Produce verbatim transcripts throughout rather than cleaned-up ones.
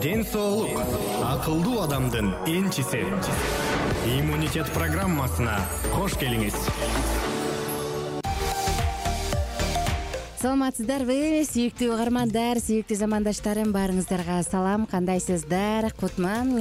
ден соолук акылдуу адамдын энчиси. Иммунитет программасына кош келиңиз. Саламатсыздарбы, сүйүктүү угармандар, сүйүктүү замандаштарым, баарыңыздарга салам. Кандайсыздар? Кутман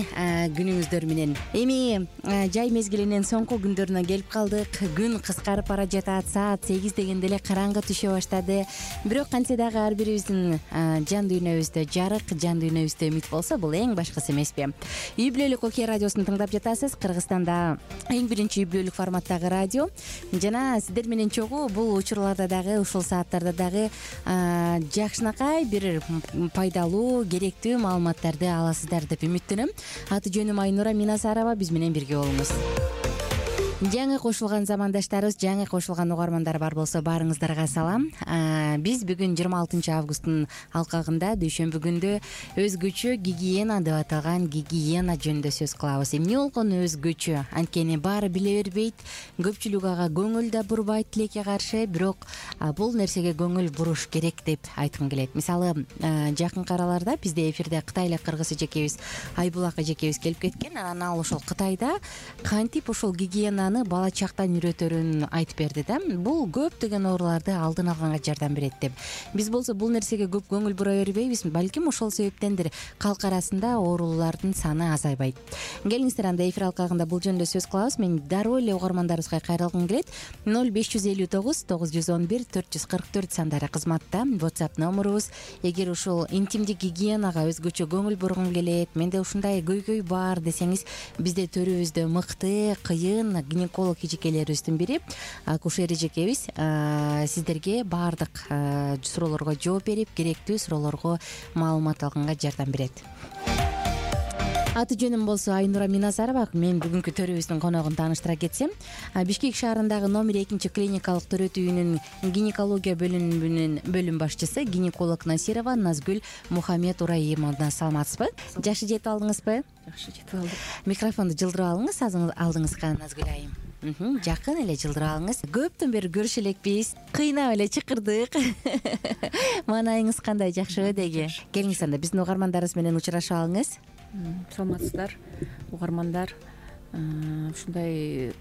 күнүңүздөр менен. Эми жай мезгилинин соңку күндөрүнө келип калдык. Күн кыскарып бара жатат. Саат сегиз дегенде эле караңгы түшө баштады. Бирок кантсе дагы ар бирибиздин жан дүйнөбүздө жарык, жан дүйнөбүздө үмүт болсо, бул эң башкысы эмеспи? Үй бүлөлүк Окей радиосун тыңдап жатасыз. Кыргызстанда эң биринчи үй бүлөлүк форматтагы радио. Жана сиздер менен чогуу бул учурларда дагы, ушул сааттарда дагы жакшынакай бир пайдалуу, керектүү маалыматтарды аласыздар деп үмүттөнөм. Аты жөнүм Айнура Минасарова, биз менен бирге болуңуз. Жаңы кошулган замандаштарыбыз, жаңы кошулган угармандар бар болсо, баарыңыздарга салам. Биз бүгүн жыйырма алтынчы августтун алкагында дүйшөмбү күндө өзгөчө гигиена деп аталган гигиена жөнүндө сөз кылабыз. Эмне болгону өзгөчө? Анткени баары биле бербейт, көпчүлүк ага көңүл да бурбайт тилекке каршы, бирок бул нерсеге көңүл буруш керек деп айткым келет. Мисалы, жакынкы араларда бизде эфирде Кытайлык кыргыз эжекебиз Айбулак эжекебиз келип кеткен. Анан ошол Кытайда кантип ошол гигиена бала чактан үйрөтөрүн айтып берди да. Бул көптөгөн ооруларды алдын алганга жардам берет деп. Биз болсо бул нерсеге көп көңүл бура бербейбиз. Балким ошол себептендир калк арасында оорулардын саны азайбайт. Келиңиздер, анда эфир алкагында бул жөнүндө сөз кылабыз. Мен дароо эле угармандарыбызга кайрылгым келет. ноль беш жүз элүү тогуз тогуз жүз он бир төрт жүз кырк төрт сандары кызматта. WhatsApp номерубуз. Эгер ушул интимдик гигиенага өзгөчө көңүл бургум келет, менде ушундай көйгөй бар десеңиз, бизде төрүбүздө мыкты, кыйын гинеколог эжекелерибиздин бири акушер эжекебиз сиздерге баардык суроолорго жооп берип, керектүү суроолорго маалымат алганга жардам берет. Аты жөнүм болсо Айнура Минасарова. Мен бүгүнкү төрүбүздүн коногун тааныштыра кетсем, Бишкек шаарындагы номер экинчи клиникалык төрөт үйүнүн гинекология бөлүмүнүн бөлүм башчысы гинеколог Насирова Назгүл Мухаммед Ураимовна. Саламатсызбы? Жакшы жетип алдыңызбы? Жакшы жетип алдык. Микрофонду жылдырып алыңыз алдыңызга, Назгүл айым. Жакын эле жылдырып алыңыз. Көптөн бери көрүшө элекпиз, кыйнап эле чакырдык. Маанайыңыз кандай, жакшыбы деги? Келиңиз, анда биздин угармандарыбыз менен учурашып алыңыз. Саламатсыздар, угармандар. Ушундай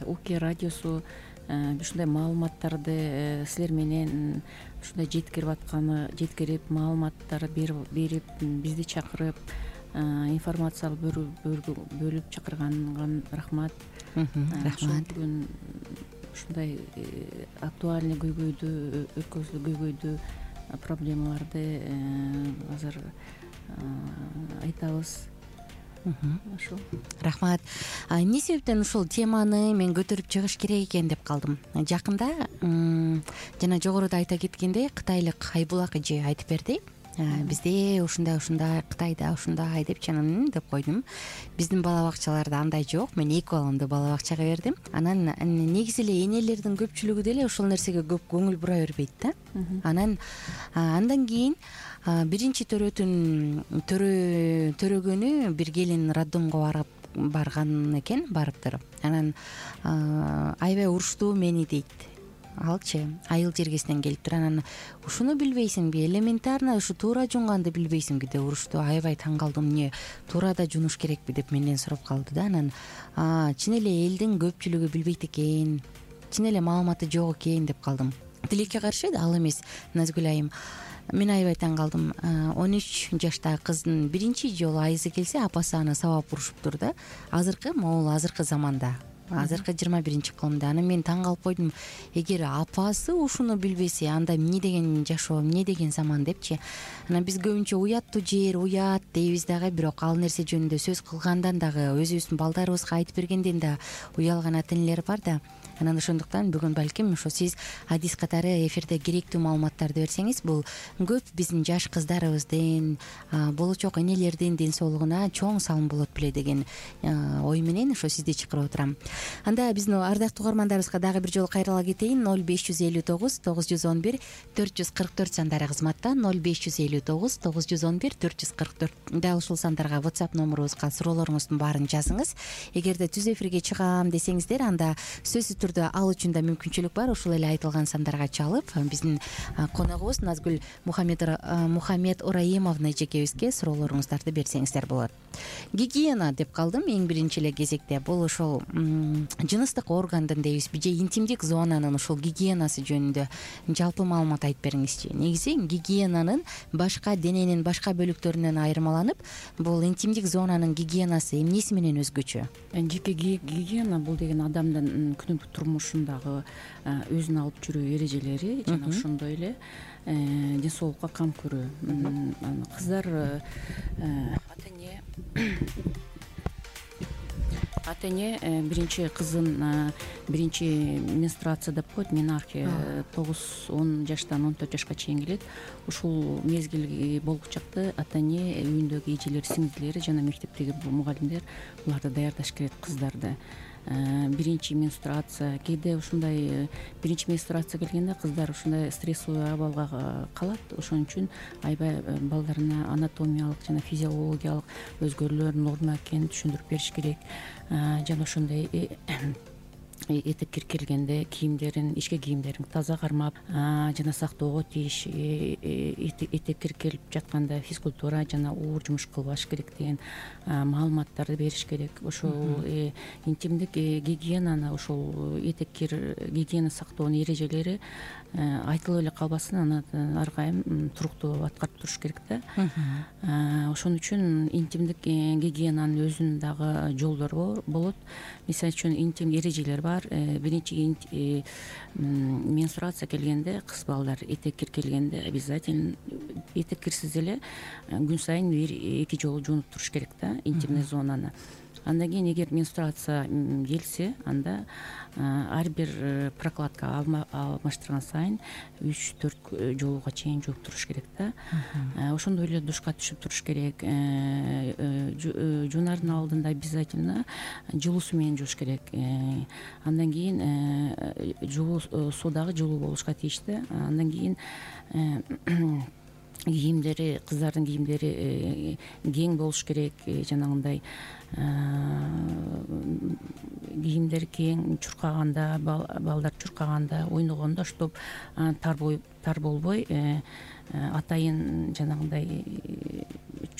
Окей радиосу ушундай маалыматтарды силер менен ушундай жеткирип атканы, жеткирип маалыматтар берип, бизди чакырып, информация бөлүп чакырганга рахмат. Рахмат. Бүгүн ушундай актуальный көйгөйдү, өткөзүлүү көйгөйдү, проблемаларды азыр айтабыз. Ошо. Рахмат. Эмне себептен ушул теманы мен көтөрүп чыгыш керек экен деп калдым. Жакында жана жогоруда айта кеткендей, кытайлык Айбулак эже айтып берди. Бизде ушундай ушундай, Кытайда ушундай деп чанын деп койдум. Биздин бала бакчаларда андай жок. Мен эки баламды бала бакчага бердим. Анан негизи эле энелердин көпчүлүгү деле ушул нерсеге көп көңүл бура бербейт да. Анан андан кийин биринчи төрөтүн төрөгөнү бир келин роддомго барып барган экен, барыптыр. Анан аябай уруштуу мени дейт. Алчы айыл жергесинен келиптир. Анан ушуну билбейсиңби, элементарно ушу туура жуунганды билбейсиңби деп урушту. Аябай таң калдым. Эмне туура да жуунуш керекпи деп менден сурап калды да. Анан чын эле элдин көпчүлүгү билбейт экен, чын эле маалыматы жок экен деп калдым. Тилекке каршы ал эмес, Назгүл айым. Мен аябай таң калдым. он үч жаштагы кыздын биринчи жолу айызы келсе, апасы аны сабап урушуптур да. Азыркы могул азыркы заманда, азыркы жыйырма биринчи кылымда. Анан мен таң калып койдум. Эгер апасы ушуну билбесе, анда эмне деген жашоо, эмне деген заман депчи. Анан биз көбүнчө уяттуу жер, уят дейбиз дагы, бирок ал нерсе жөнүндө сөз кылгандан дагы, өзүбүздүн балдарыбызга айтып бергенден да уялган ата энелер бар да. Анан ошондуктан бүгүн балким ошо сиз адис катары эфирде керектүү маалыматтарды берсеңиз, бул көп биздин жаш кыздарыбыздын, болочок энелердин ден соолугуна чоң салым болот беле деген ой менен ошо сизди чакырып отурам. анда биздин ардактуу угармандарыбызга дагы бир жолу кайрыла кетейин. ноль беш жүз элүү тогуз тогуз жүз он бир төрт жүз кырк төрт сандары кызматта. ноль беш жүз элүү тогуз тогуз жүз он бир төрт жүз кырк төрт дал ушул сандарга WhatsApp номурубузга суроолоруңуздун баарын жазыңыз. Эгерде түз эфирге чыгам десеңиздер, анда сөзсүз түрдө ал үчүн да мүмкүнчүлүк бар. Ушул эле айтылган сандарга чалып биздин коногубуз Назгүл Мухаммед Ораимовна эжекебизге суроолоруңуздарды берсеңиздер болот. Гигиена деп калдым эң биринчи эле кезекте. Бул ошол жыныстык органдын дейбизби же интимдик зонанын ушул гигиенасы жөнүндө жалпы маалымат айтып бериңизчи. Негизи гигиенанын башка дененин башка бөлүктөрүнөн айырмаланып, бул интимдик зонанын гигиенасы эмнеси менен өзгөчө? Жеке гигиена бул деген адамдын күнүмдүк турмушундагы өзүн алып жүрүү эрежелери жана ошондой эле ден соолукка кам көрүү. Кыздар ата эне ата эне биринчи кызын биринчи менструация деп коет, менархия тогуз он жаштан он төрт жашка чейин келет. Ушул мезгил болгучакты ата эне үйүндөгү эжелер, сиңдилери жана мектептеги мугалимдер буларды даярдаш керек кыздарды. Биринчи менструация кээде ушундай биринчи менструация келгенде кыздар ушундай стрессовый абалга калат. Ошон үчүн аябай балдарына анатомиялык жана физиологиялык өзгөрүүлөр норма экенин түшүндүрүп бериш керек. Жана ошондой этеккир келгенде кийимдерин, ички кийимдерин таза кармап жана сактоого тийиш, этеккир келип жатканда физкультура жана уур жумуш кылбаш керек деген маалыматтарды бериш керек. Ошол интимдик гигиенаны, ошол этеккир гигиена сактоонун эрежелери айтылып эле калбасын, аны ар кайым туруктуу аткарып туруш керек да. Ошон үчүн интимдик гигиенанын өзүнүн дагы жолдору болот. Мисалы үчүн интим эрежелер бар. Биринчи менструация келгенде кыз балдар этеккир келгенде обязательно этеккирсиз эле күн сайын бир эки жолу жуунуп туруш керек да интимный зонаны. Андан кийин эгер менструация келсе, анда ар бир прокладка алмаштырган сайын үч төрт жолуга чейин жууп туруш керек да. Ошондой эле душка түшүп туруш керек. Жуунардын алдында обязательно жылуу суу менен жууш керек. Андан кийин жылуу суу дагы жылуу болушка тийиштүү. Андан кийин кийимдери, кыздардын кийимдери кең болуш керек. Жанагындай кийимдер кең, чуркаганда, балдар чуркаганда, ойногондо чтобы тар болбой, атайын жанагындай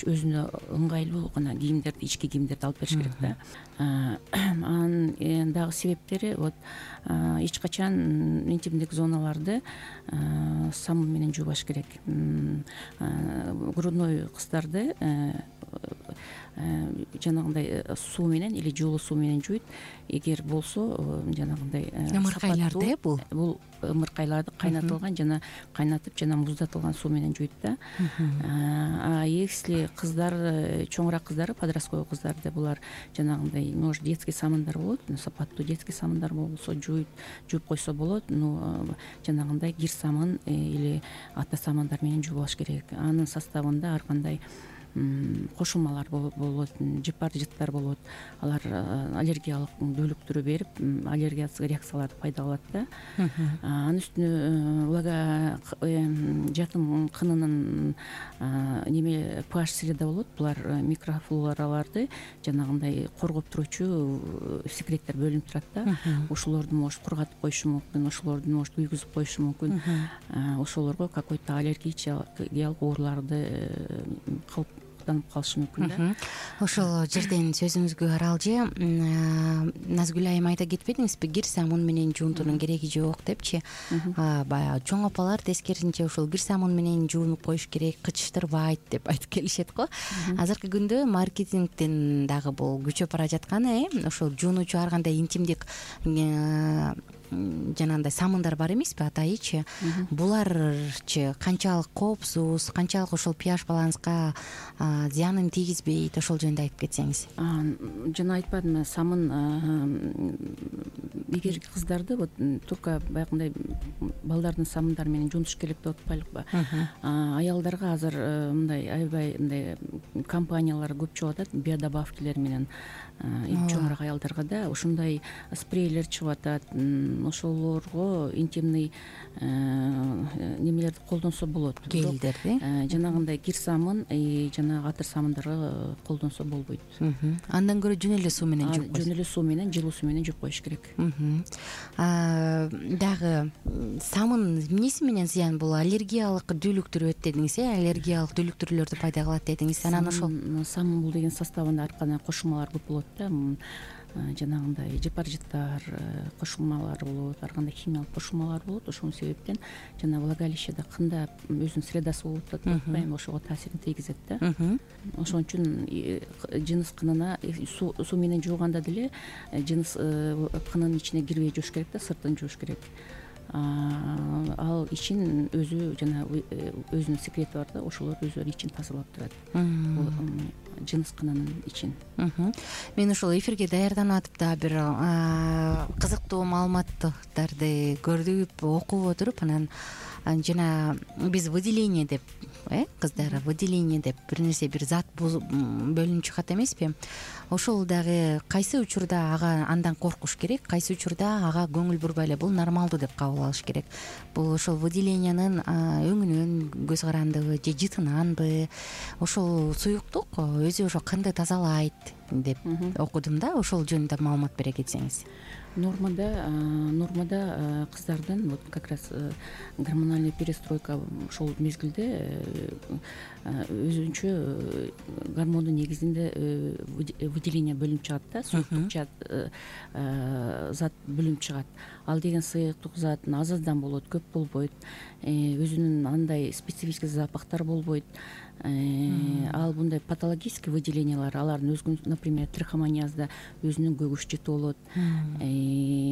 өзүнө ыңгайлуу гана кийимдерди, ички кийимдерди алып бериш керек да. Анын дагы себептери вот эч качан интимдик зоналарды самун менен жуубаш керек. Грудной кыздарды жанагындай суу менен или жылуу суу менен жууйт. Эгер болсо жанагындай ымыркайларды бул бул ымыркайларды кайнатылган жана кайнатып жана муздатылган суу менен жууйт да. А если кыздар, чоңураак кыздар, подростковый кыздарды, булар жанагындай может детский самындар болот, сапаттуу детский самындар болсо жууйт, жууп койсо болот. Но жанагындай кир самын или ата самындар менен жуубаш керек. Анын составында ар кандай кошулмалар болот, жыпар-жыттар болот. Алар аллергиялык дөөлүктүрү берип, аллергиялык реакцияларды пайда кылат да. Анын үстүнө влага жатым кынынын неме pH среда болот. Булар микрофлораларды жанагындай коргоп турчу секреттер бөлүнүп турат да. Ошолорду может кургатып коюшу мүмкүн, ошолорду может уйгузуп коюшу мүмкүн. Ошолорго какой-то аллергиялык ооруларды кылып калышы мүмкүн да. Ошол жерден сөзүңүзгө аралжы Назгүл айым айта кетпедиңизби, кир самун менен жуунтуунун кереги жок депчи. Баягы чоң апалар тескерисинче ушул кир самун менен жуунуп коюш керек, кычыштырбайт деп айтып келишет го. Азыркы күндө маркетингден дагы бул күчөп бара жаткан, ошол жуунуучу ар кандай интимдик жанагындай самындар бар эмеспи, атайычы, буларчы канчалык коопсуз, канчалык ошол pH баланска зыянын тийгизбейт, ошол жөнүндө айтып кетсеңиз. Жана айтпадымбы, самын эгер кыздарды вот турка баягындай балдардын самындары менен жумуш керек деп атпайлыкпы, аялдарга азыр мындай аябай мындай компаниялар көп чыгып атат, биодобавкилер менен чоңураак аялдарга да ушундай спрейлер чыгып атат. Ошолорго интимный немелерди колдонсо болот. Гелдерди жанагындай кир самын, жанагы атыр самындарга колдонсо болбойт. Андан көрө жөн эле суу менен жууп жөн эле суу менен, жылуу суу менен жууп коюш керек. Дагы самын эмнеси менен зыян? Бул аллергиялык дүүлүктүрөт дедиңиз, э? Аллергиялык дүүлүктүрлөрдү пайда кылат дедиңиз. Анан ошол самын бул деген составында ар кандай кошулмалар көп болот да. Жанагындай жепаржиттар кошулмалары болот, ар кандай химиялык кошулмалар болот. Ошол себептен жана влагалищеде кында өзүнүн средасы болуп атат деп атпаймынбы, ошого таасирин тийгизет да. Ошон үчүн жыныс кынына суу менен жууганда деле жыныс кынынын ичине кирбей жууш керек да, сыртын жууш керек. Ал ичин өзү жана өзүнүн секрети бар да, ошолор өздөрү ичин тазалап турат. Бул жыныс кынынын ичин. Мен ошол эфирге даярданып атып да бир кызыктуу маалыматтарды көрүп, окуп отуруп, анан жана биз выделение деп, э кыздар выделение деп бир нерсе, бир зат бөлүнүп чыгат эмеспи? Ошол дагы кайсы учурда ага андан коркуш керек, кайсы учурда ага көңүл бурбай эле бул нормалдуу деп кабыл алыш керек. Бул ошол выделениянын өңүнөн көз карандыбы же жытынанбы? Ошол суюктук өзү ошо кынды тазалайт деп окудум да, ошол жөнүндө маалымат бере кетсеңиз. Нормада нормада кыздардын вот как раз гормональный перестройка ошол мезгилде өзүнчө гормондун негизинде выделение бөлүнүп чыгат да, суюктук зат бөлүнүп чыгат. Ал деген суюктук зат аз аздан болот, көп болбойт, өзүнүн андай специфический запахтар болбойт. Ал мындай патологический выделениялар, алардын өзүнүн, например, трихомониазда өзүнүн көгүш жыты болот,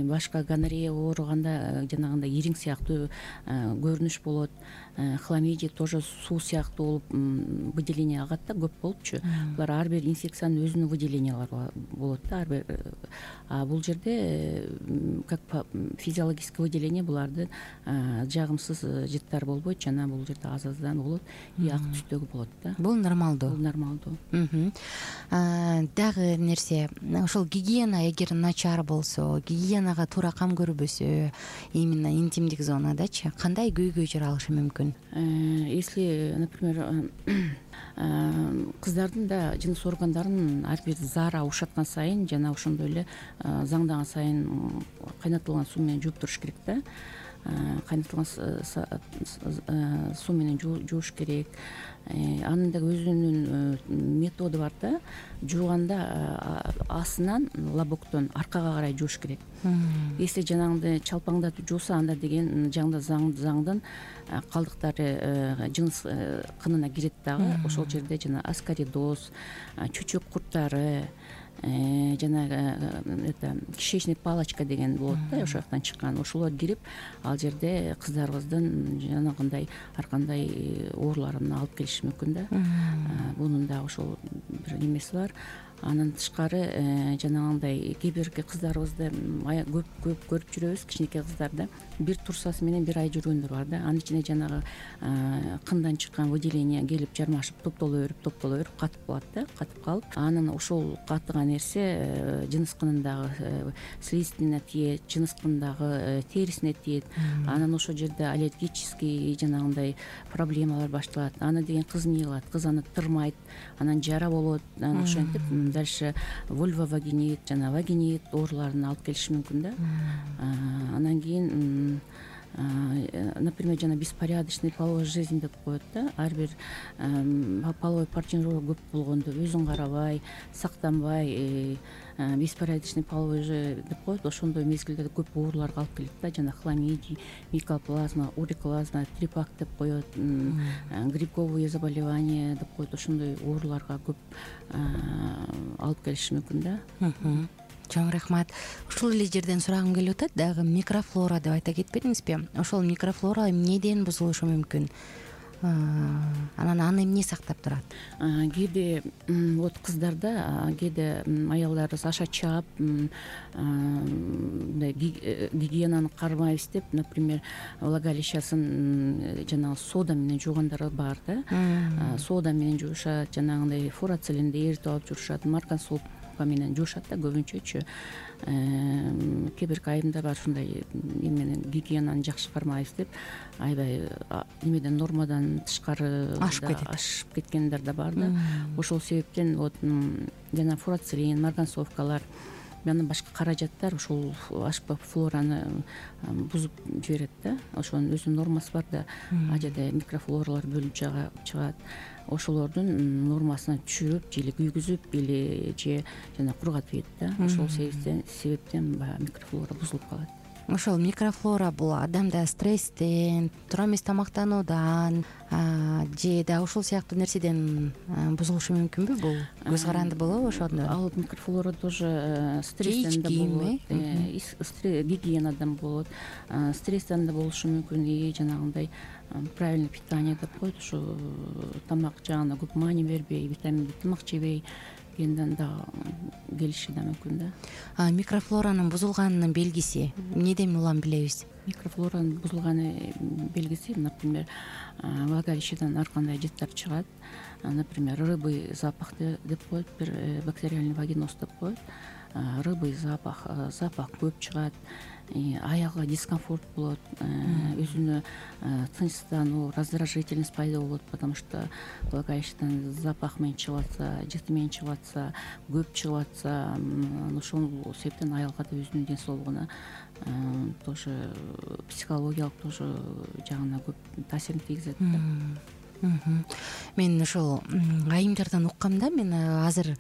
башка гонорея ооруганда жанагындай ириң сыяктуу көрүнүш болот, хламидия тоже суу сыяктуу болуп выделение агат да, көп болупчу. Булар ар бир инфекциянын өзүнүн выделениялары болот да, ар бир. А бул жерде как физиологический выделение булардын жагымсыз жыттар болбойт, жана бул жерде аз аздан болот, и ак түстөгү болот да. Бул нормалдуу. Бул нормалдуу. Дагы нерсе, ошол гигиена эгер начар болсо, гигиенага туура кам көрбөсө, именно интимдик зонадачы кандай көйгөй жаралышы мүмкүн? Если, например, кыздардын да жыныс органдарын ар бир заара ушаткан сайын жана ошондой эле заңдаган сайын кайнатылган суу менен жууп туруш керек да. Кайнатылган суу менен жууш керек. Анын да өзүнүн методу бар да. Жууганда астынан, лобоктон аркага карай жууш керек. Если жанагындай чалпаңдатып жууса, анда деген жаңда заңдын калдыктары жыныс кынына кирет дагы. Ошол жерде жана аскаридоз, чөчөк курттары, жана это кишечный палочка деген болот да, ошол жактан чыккан. Ошолор кирип, ал жерде кыздарыбыздын жанагындай ар кандай ооруларын алып келиши мүмкүн да. Бунун да ошол бир немеси бар. Андан тышкары жанагындай кээ бирки кыздарыбызды көп көп көрүп жүрөбүз, кичинекей кыздарды бир турсасы менен бир ай жүргөндөр бар да. Анын ичине жанагы кындан чыккан выделение келип жармашып, топтоло берип, топтоло берип катып калат да, катып калып, анан ошол катыган нерсе жыныс кынындагы слизистине тиет, жыныс кынындагы терисине тиет. Анан ошол жерде аллергический жанагындай проблемалар башталат. Аны деген кыз эмне кылат? Кыз аны тырмайт, анан жара болот, анан ошентип дальше вульвовагинит, жана вагинит ооруларын алып келиши мүмкүн да. Анан кийин, например, жана беспорядочный половой жизнь деп коет да. Ар бир половой партнеры көп болгондо өзүн карабай, сактанбай, беспорядочный половой деп коет. Ошондой мезгилде көп ооруларга алып келет да. Жана хламидий, микоплазма, уриклазма, трипак деп коет, грибковые заболевания деп коет. Ошондой ооруларга көп алып келиши мүмкүн да. чоң рахмат. Ушул эле жерден сурагым келип атат, дагы микрофлора деп айта кетпедиңизби? Ошол микрофлора эмнеден бузулушу мүмкүн? Анан аны эмне сактап турат? Кээде вот кыздарда, кээде аялдарыбыз аша чаап, мындай гигиенаны кармайбыз деп, например, влагалищасын жанагы сода менен жуугандар бар да. Сода менен жуушат, жанагындай фурацилинди эритип алып жуушат, марганцовка менен жуушат да көбүнчөчү. Кээ бир айымдар бар ушундай эменен гигиенаны жакшы кармайбыз деп аябай немеден нормадан тышкары ашып кеткендер да бар да. Ошол себептен вот жана фурацилин, марганцовкалар, андан башка каражаттар ушул ашпа флораны бузуп жиберет да. Ошонун өзүнүн нормасы бар да. А жерде микрофлоралар бөлүнүп чыгат. Ошолордун нормасына түшүп, же күйгүзүп, или же жана кургатып ийет да. Ошол себептен себептен баягы микрофлора бузулуп калат. Ошол микрофлора бул адамда стресстен, туура эмес тамактануудан же да ушул сыяктуу нерседен бузулушу мүмкүнбү? Бул көз каранды болобу ошондо? Ал микрофлора тоже стресстен да болот, гигиенадан болот, стресстен да болушу мүмкүн, и жанагындай правильный питание деп коет, ушу тамак жагына көп маани бербей, витаминдүү тамак жебей кенден да келиши да мүмкүн да. Микрофлоранын бузулганынын белгиси эмнеден улам билебиз? Микрофлоранын бузулганы белгиси, например, влагалищедан ар кандай жыттар чыгат. Например, рыбый запах деп коет, бир бактериальный вагиноз деп коет. Рыбый запах, запах көп чыгат, аягга дискомфорт болот, өзүнө тынчсыздануу, раздражительность пайда болот, потому что влагалищедан запах менен чыгып атса, жыты менен чыгып атса, көп чыгып атса, ошол себептен аялга да өзүнүн ден соолугуна тоже психологиялык тоже жагына көп таасирин тийгизет да. Мен ошол айымдардан уккам да, мен азыр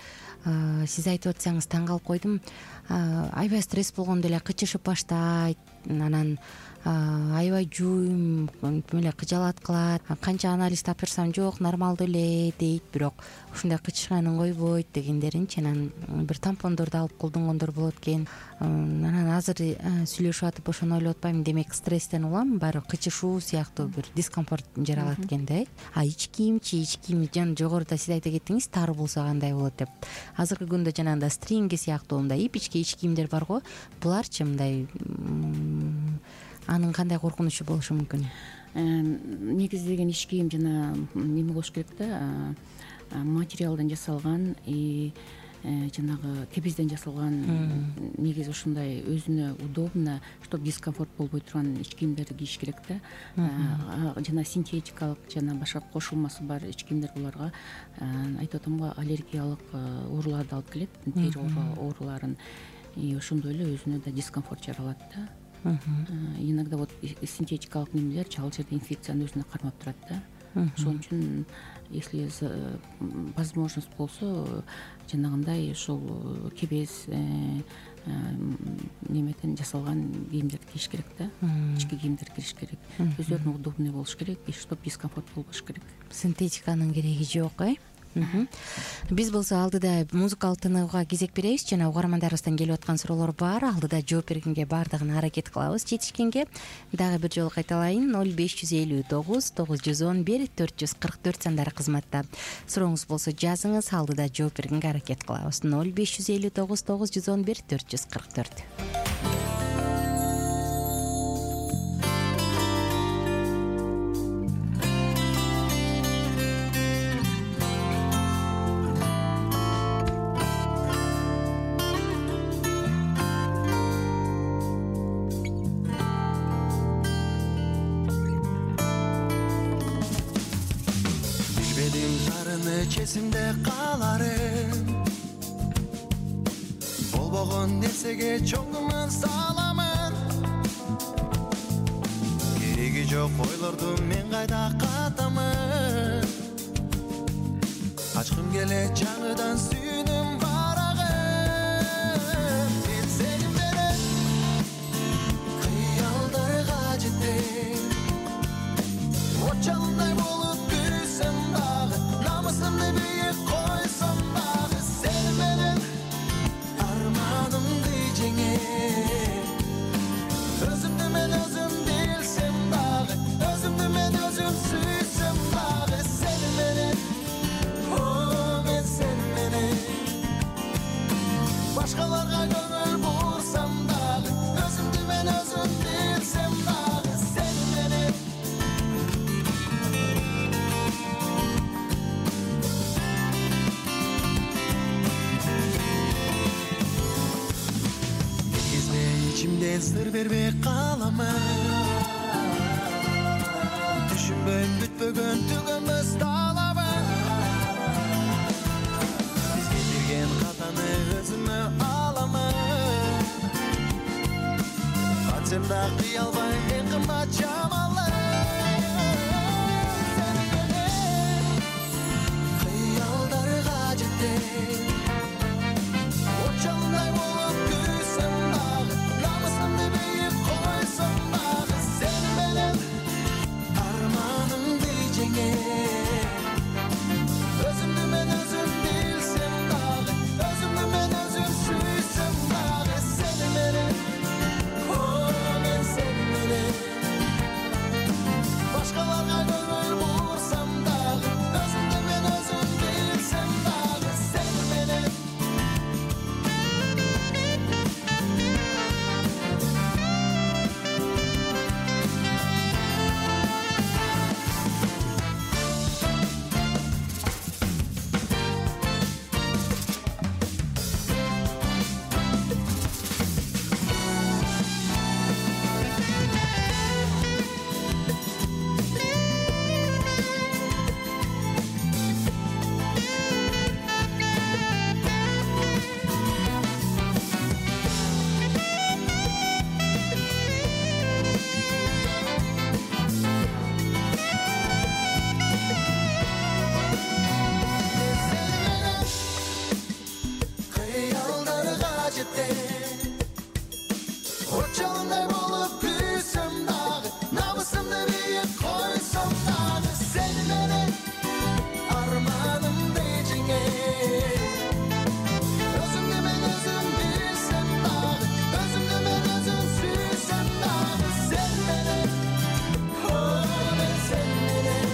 сиз айтып атсаңыз таң калып койдум. Аябай стресс болгондо эле кычышып баштайт, анан аябай жуум эле кыжалат кылат, канча анализ тапшырсам жок, нормалдуу эле дейт, бирок ушундай кычышганын койбойт дегендеринчи. Анан бир тампондорду алып колдонгондор болот экен. Анан азыр сүйлөшүп атып ошону ойлоп атпаймынбы, демек стресстен улам баары кычышуу сыяктуу бир дискомфорт жаралат экен да. А ич кийимчи, ич кийим жана жогоруда сиз айта кеттиңиз, тар болсо кандай болот деп. Азыркы күндө жанагындай стринги сыяктуу мындай ипичке ич кийимдер бар го, буларчы мындай анын кандай коркунучу болушу мүмкүн? Негиздеген ич кийим жана неме болуш керек да, материалдан жасалган, и жанагы кебезден жасалган, негизи ушундай өзүнө удобно, чтобы дискомфорт болбой турган ич кийимдерди кийиш керек да. Жана синтетикалык, жана башка кошулмасы бар ич кийимдер буларга айтып атам го, аллергиялык ооруларды алып келет, тери ооруларын, и ошондой эле өзүнө да дискомфорт жаралат да. Иногда вот синтетикалык немелер ал жерде инфекцияны өзүнө кармап турат да. Ошон үчүн, если возможность болсо, жанагындай ошол кебез немеден жасалган кийимдерди кийиш керек да. Ички кийимдер кийиш керек. Өзүлөрүнө удобный болуш керек, и чтобы дискомфорт болбош керек. Синтетиканын кереги жок, э? Биз болсо алдыда музыкалык тыныгууга кезек беребиз, жана угармандарыбыздан келип аткан суроолор бар. Алдыда жооп бергенге баардыгына аракет кылабыз жетишкенге. Дагы бир жолу кайталайын: ноль беш жүз элүү тогуз тогуз жүз он бир төрт жүз кырк төрт сандары кызматта. Сурооңуз болсо жазыңыз, алдыда жооп бергенге аракет кылабыз. ноль беш жүз элүү тогуз тогуз жүз он бир төрт жүз кырк төрт. Чесимде каларым, болбогон нерсеге чоңдумун саламын. Кереги жок ойлорду мен кайда катамын. Ачкым келе жаңыдан сүйүнүм барагым. Мен сени менен кыялдарга жетем, от жалындай болуп күрүсөм дагы. Намысымды бийик койсом дагы, сени менен арманымды мен сыр бербей каламын түшүнбөй бүтпөгөн түгөнбөс талабы бизге берген катаны өзүмө аламын качан да кыя албайм эң кымбат жамалы сени менен кыялдарга жетем очоңдай болуп күрсөм дагы намысымды бийик койсом дагы сени менен арманымды жеңем өзүмдү мен өзүм билсем дагы өзүмдү мен өзүм сүйсөм дагы сени менен мен сени менен башкаларга көңүл бурсам дагы өзүмдү мен өзүм билсем дагы сени менен кыялдарга жетем очоңдай болуп күрсөм дагы намысымды бийик койсом дагы сени менен арманымды жеңем өзүмдү мен өзүм билсем дагы өзүмдү мен өзүм сүйсөм дагы сени менен мен сени менен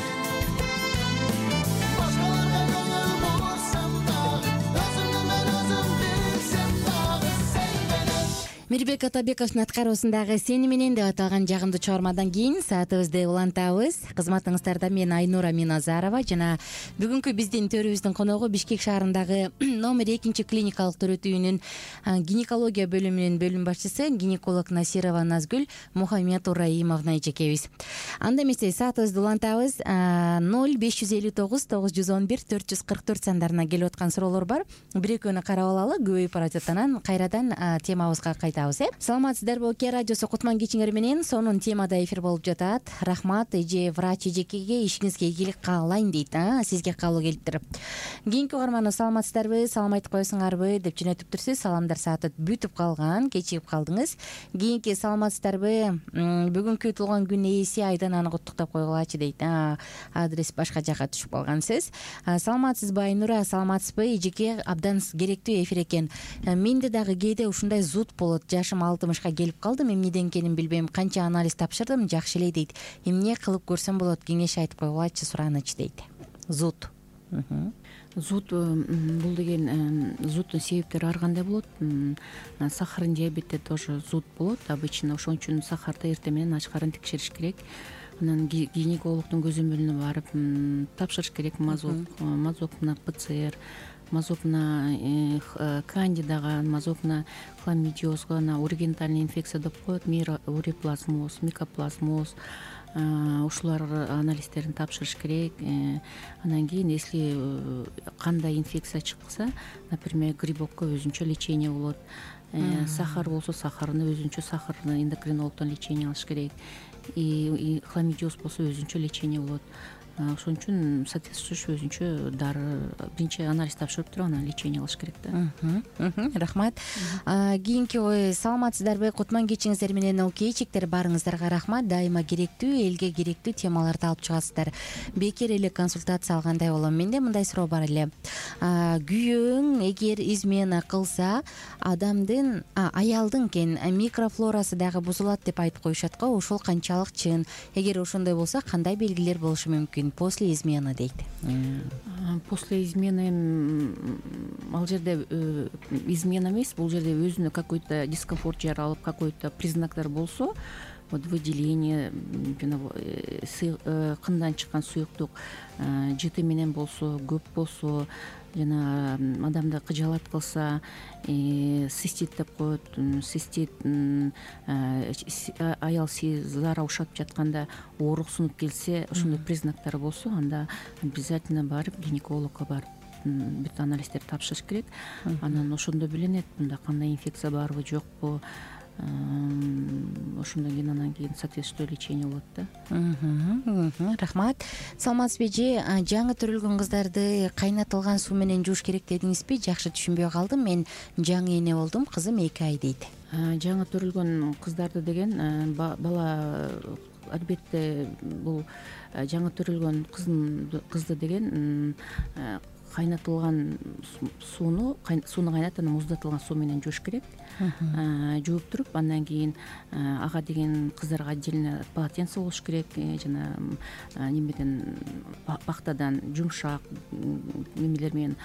башкаларга көңүл бурсам дагы өзүмдү мен өзүм билсем дагы сени менен Мирбек Атабековдун аткаруусундагы Сени менен деп аталган жагымдуу чыгармадан кийин саатыбызды улантабыз. Кызматыңыздарда мен Айнура Миназарова жана бүгүнкү биздин төрүбүздүн коногу Бишкек шаарындагы номер экинчи клиникалык төрөтүүнүн гинекология бөлүмүнүн бөлүм башчысы гинеколог Насирова Назгүл Мухаммед Ураимовна эжекебиз. Анда эмесе саатыбызды улантабыз. ноль беш жүз элүү тогуз тогуз жүз он бир төрт жүз кырк төрт сандарына келип аткан суроолор бар. Бир экөөнү карап алалы, көбөйүп бара жатат, анан кайрадан темабызга кайтабыз. э Саламатсыздарбы, Ке радиосу кутман кечиңер менен сонун темада эфир болуп жатат. Рахмат эже врач эжекеге, ишиңизге ийгилик каалайм дейт. Сизге каалоо келиптир. Кийинки угарман саламатсыздарбы, салам айтып коесуңарбы деп жөнөтүптүрсүз. Саламдар сааты бүтүп калган, кечигип калдыңыз. Кийинки саламатсыздарбы, бүгүнкү туулган күн ээси айдан аны куттуктап койгулачы дейт. Адрес башка жака түшүп калган сөз. Саламатсызбы Айнура, саламатсызбы эжеке, абдан керектүү эфир экен. Менде дагы кээде ушундай зуд болот. Жашым алтымышка келип калдым, эмнеден экенин билбейм. Канча анализ тапшырдым, жакшы эле дейт. Эмне кылып көрсөм болот, кеңеш айтып койгулачы, сураныч дейт. Зуд. Зуд бул деген зуддун себептери ар кандай болот. Сахарный диабетте тоже зуд болот обычно. Ошон үчүн сахарды эртең менен ачкарын текшериш керек. Анан гинекологдун көзөмөлүнө барып тапшырыш керек. Мазок, мазок на ПЦР, мазок на кандидага, мазок на хламидиозго, на ургентальный инфекция деп коет, уреплазмоз, микоплазмоз. Ушулар анализдерин тапшырыш керек. Анан кийин если кандай инфекция чыкса, например, грибокко өзүнчө лечение болот. Сахар болсо сахарны өзүнчө сахарны эндокринологдон лечение алыш керек. И хламидиоз болсо өзүнчө лечение болот. Ошон үчүн соответствующий өзүнчө дары, биринчи анализ тапшырып туруп анан лечение алыш керек да. Рахмат. Кийинки ой, саламатсыздарбы, кутман кечиңиздер менен окейчиктер, барыңыздарга рахмат. Дайыма керектүү, элге керектүү темаларды алып чыгасыздар. Бекер эле консультация алгандай болом. Менде мындай суроо бар эле. Күйөөң эгер измена кылса, адамдын, аялдын кен микрофлорасы дагы бузулат деп айтып коюшат го. Ошол канчалык чын? Эгер ошондой болсо, кандай белгилер болушу мүмкүн после измены дейт? После измены ал жерде измена эмес, бул жерде өзүнө какой-то дискомфорт жаралып, какой-то признактар болсо, вот выделение жана кындан чыккан суюктук жыты менен болсо, көп болсо, жана адамды кыжаалат кылса, цистит деп коет, цистит, аял зара ушатып жатканда ооруксунуп келсе, ошондой признактары болсо, анда обязательно барып гинекологко барып бүт анализдерди тапшырыш керек. Анан ошондо билинет мында кандай инфекция барбы, жокпу. Ошондон кийин анан кийин соответствующий лечение болот да. Рахмат. Саламатсызбы эже? Жаңы төрөлгөн кыздарды кайнатылган суу менен жууш керек дедиңизби? Жакшы түшүнбөй калдым. Мен жаңы эне болдум, кызым эки ай дейт. Жаңы төрөлгөн кыздарды деген бала албетте бул жаңы төрөлгөн кызды деген кайнатылган сууну сууну кайнатып анан муздатылган суу менен жууш керек. Жууп туруп, андан кийин ага деген кыздарга отдельно полотенце болуш керек, жана немеден пахтадан жумшак немелер менен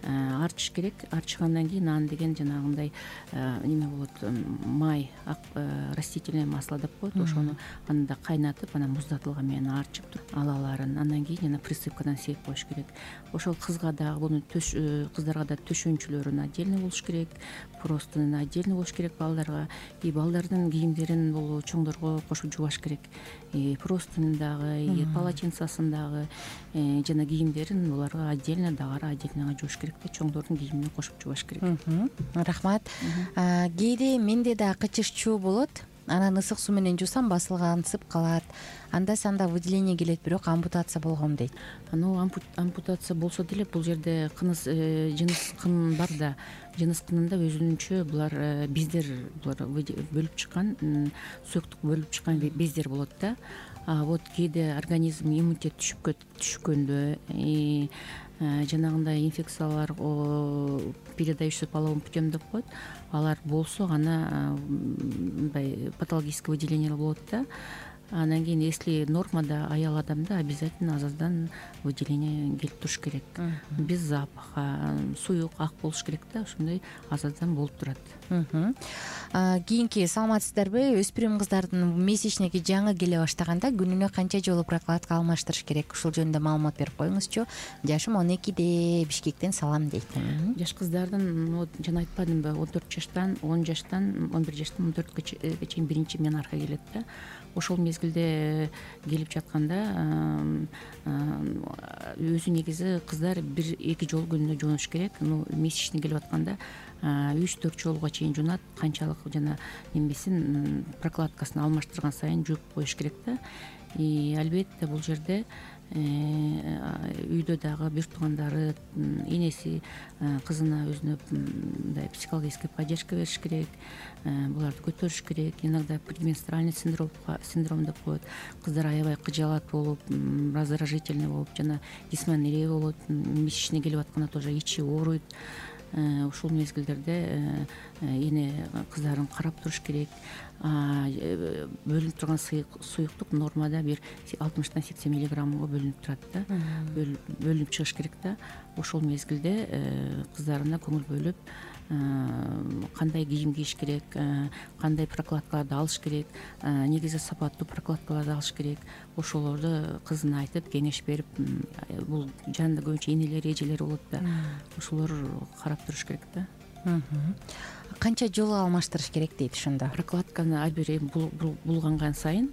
арчыш керек. Арчыгандан кийин анан деген жанагындай неме болот, май, растительное масло деп коет, ошону анда кайнатып, анан муздатылган менен арчып туруп алаларын, андан кийин жана присыпкадан сеп коюш керек. Ошол кызга дагы буну кыздарга да төшөнчүлөрүн отдельно болуш керек, простынын отдельно болуш керек балдарга. И балдардын кийимдерин бул чоңдорго кошуп жубаш керек. Простынын дагы, полотенцасын дагы жана кийимдерин буларга отдельно, дагары отдельно жууш керек да, чоңдордун кийимине кошуп жубаш керек. Рахмат. Кээде менде да кычышчуу болот. Анан ысык суу менен жуусам басылгансып калат. Анда санда выделение келет, бирок ампутация болгом дейт. Ну, ампутация болсо деле бул жерде кыныс, жыныс кын бар да. Жыныс кынында өзүнчө булар бездер, булар бөлүп чыккан, суюктук бөлүп чыккан бездер болот да. А вот кээде организм иммунитет түшүккөндө, жанагындай инфекциялар, передающийся половым путем деп коет, алар болсо гана мындай патологический выделениялар болот да. Анан кийин если нормада аял адамда обязательно азаздан выделение келип туруш керек. Без запаха, суюк, ак болуш керек да, ошондой азаздан болуп турат. Кийинки саламатсыздарбы? Өспүрүм кыздардын месячниги жаңы келе баштаганда күнүнө канча жолу прокладка алмаштырыш керек? Ушул жөнүндө маалымат берип коюңузчу. Жашым он экиде, Бишкектен салам дейт. Жаш кыздардын, вот жана айтпадымбы, он төрт жаштан, он жаштан, он бир жаштан он төрткө чейин биринчи менарха келет да. Ошол мезгилде келип жатканда өзү негизи кыздар бир эки жолу күнүнө жуунуш керек. Ну, месячный келип атканда үч төрт жолуга чейин жуунат. Канчалык жана немесин прокладкасын алмаштырган сайын жууп коюш керек да. И албетте бул жерде үйдө дагы бир туугандары, энеси кызына өзүнө мындай психологический поддержка бериш керек, буларды көтөрүш керек. Иногда предменструальный синдром синдром деп коет. Кыздар аябай кыжаалат болуп, раздражительный болуп, жана дисмонерия болот. Месячный келип атканда тоже ичи ооруйт. Ушул мезгилдерде эне кыздарын карап туруш керек. Бөлүнүп турган суюктук нормада бир алтымыштан сексен миллиграммга бөлүнүп турат да. Бөлүнүп чыгыш керек да. Ошол мезгилде кыздарына көңүл бөлүп, кандай кийим кийиш керек, кандай прокладкаларды алыш керек, негизи сапаттуу прокладкаларды алыш керек. Ошолорду кызына айтып, кеңеш берип, бул жанында көбүнчө энелер, эжелер болот да. Ошолор карап туруш керек да. Канча жолу алмаштырыш керек дейт ошондо? Прокладканы ар бир булганган сайын,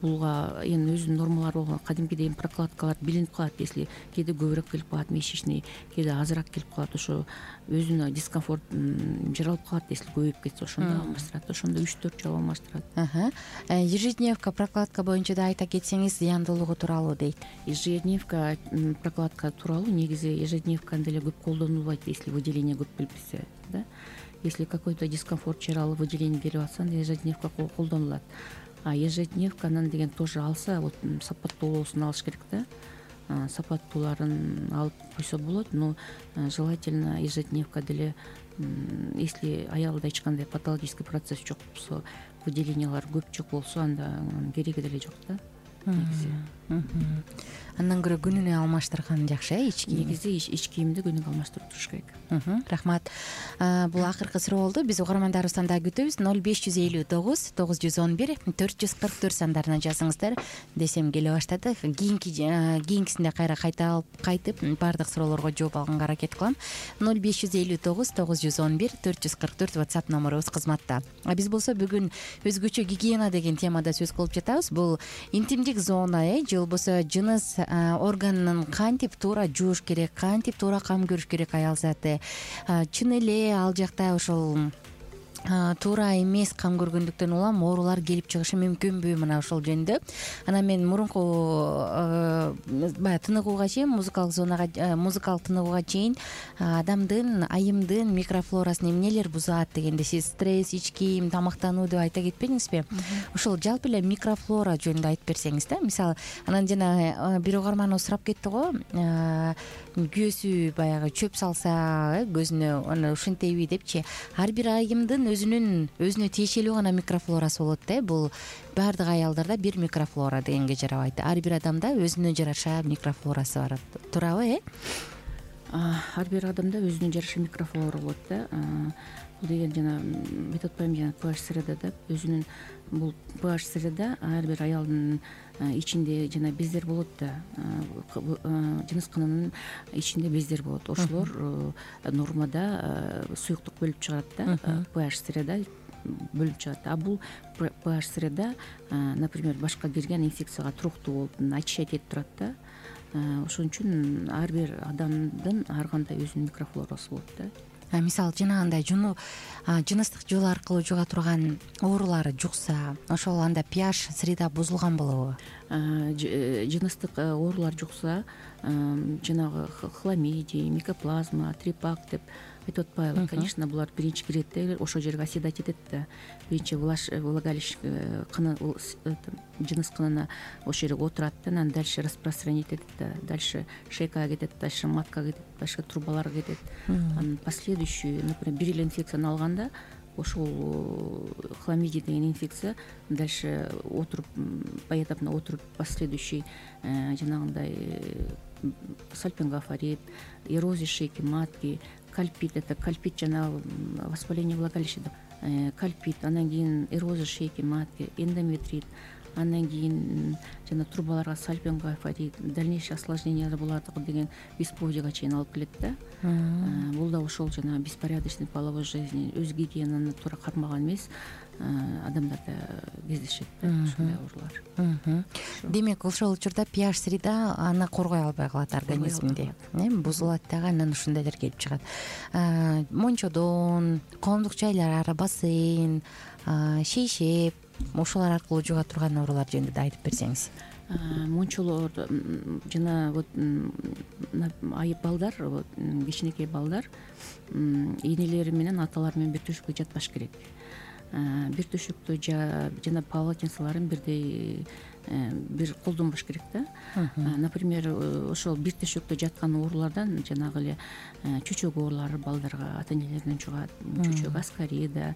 булга эми өзүнүн нормалары болгон кадимкидей прокладкалар билинип калат. Если кээде көбүрөөк келип калат месячный, кээде азыраак келип калат, ошо өзүнө дискомфорт жаралып калат. Если көбөйүп кетсе, ошондо алмаштырат. Ошондо үч төрт жолу алмаштырат. Ежедневка прокладка боюнча да айта кетсеңиз, зыяндуулугу тууралуу дейт. Ежедневка прокладка тууралуу негизи ежедневканы деле көп колдонулбайт, если выделение көп келип кетсе, да. Если какой-то дискомфорт жаралып, выделение келип атса, ежедневка колдонулат. А ежедневканын деген тоже алса, вот сапаттуулуусун алыш керек да. Сапаттууларын алып койсо болот, но желательно ежедневка деле, если аялда эч кандай патологический процесс жок болсо, выделениялар көп жок болсо, анда кереги деле жок да. Негизи. Андан көрө күнүнө алмаштырган жакшы э ич кийим. Негизи ич кийимди күнүгө алмаштырып туруш керек. Рахмат. Бул акыркы суроо болду. Биз угармандарыбыздан дагы күтөбүз. ноль беш жүз элүү тогуз тогуз жүз он бир төрт жүз кырк төрт сандарына жазыңыздар десем келе баштады. Кийинки кийинкисинде кайра кайта кайтып баардык суроолорго жооп алганга аракет кылам. ноль беш жүз элүү тогуз тогуз жүз он бир төрт жүз кырк төрт WhatsApp номерубуз кызматта. А биз болсо бүгүн өзгөчө гигиена деген темада сөз кылып жатабыз. Бул интимдик зона э же болбосо жыныс органын кантип туура жууш керек, кантип туура кам көрүш керек аял заты. Чын эле ал жакта ошол туура эмес кам көргөндүктөн улам оорулар келип чыгышы мүмкүнбү? Мына ошол жөнүндө. Анан мен мурунку баягы тыныгууга чейин, музыкалык зонага, музыкалык тыныгууга чейин адамдын айымдын микрофлорасын эмнелер бузат дегенде сиз стресс, ич кийим, тамактануу деп айта кетпедиңизби? Ошол жалпы эле микрофлора жөнүндө айтып берсеңиз да. Мисалы, анан жана бир угарманыбыз сурап кетти го, күйөөсү баягы чөп салса көзүнө, аны ушинтеби депчи. Ар бир айымдын өзүнүн өзүнө тиешелүү гана микрофлорасы болот да. Бул баардык аялдарда бир микрофлора дегенге жарабайт. Ар бир адамда өзүнө жараша микрофлорасы бар. Туурабы, э? Ар бир адамда өзүнө жараша микрофлора болот да. Бул деген жана бет атпайм жана pH среда да. Өзүнүн бул pH среда ар бир аялдын ичинде жана бездер болот да. Жыныс кынынын ичинде бездер болот. Ошолор нормада суюктук бөлүп чыгарат да. pH среда бөлүп чыгат. А бул pH среда, например, башка кирген инфекцияга туруктуу болуп, очищать этип турат да. Ошон үчүн ар бир адамдын ар кандай өзүнүн микрофлорасы болот да. Мисалы, жанагындай жуну жыныстык жол аркылуу жуга турган оорулары жукса, ошол анда pH среда бузулган болобу? Жыныстык оорулар жукса, жанагы хламидий, микоплазма, трипак деп айтып атпайлы. Конечно, булар биринчи кирет да, ошол жерге оседать этет да. Биринчи влагалище кыны, жыныс кынына ошол жерге отурат да, анан дальше распространить этет да. Дальше шейкага кетет, дальше маткага кетет, дальше трубаларга кетет. Анан последующий, например, бир эле инфекцияны алганда, ошол хламидий деген инфекция дальше отуруп, поэтапно отуруп, последующий жанагындай сальпингофорит, эрозия шейки матки, кальпит, это кальпит жанагы воспаление влагалища деп, кальпит, анан кийин эрозия шейки матки, эндометрит, андан кийин жана трубаларга сальпингофорит, дальнейшее осложнениялар болот деген бесплодияга чейин алып келет да. Бул да ошол жана беспорядочный половой жизни, өз гигиенаны туура кармаган эмес адамдарда кездешет да ушундай оорулар. Демек, ошол учурда pH среда аны коргой албай калат организминде, э, бузулат дагы, анан ушундайлар келип чыгат. Мончодон, коомдук жайлар, бассейн, шейшеп, ошолор аркылуу жуга турган оорулар жөнүндө да айтып берсеңиз. Мончолор жана вот айып балдар, вот кичинекей балдар энелери менен аталары менен бир төшөккө жатпаш керек. Бир төшөктө жана полотенцаларын бирдей бир колдонбош керек да. Например, ошол бир төшөктө жаткан оорулардан жанагы эле чөчөк оорулары балдарга ата энелеринен жугат. Чөчөк, аскарида,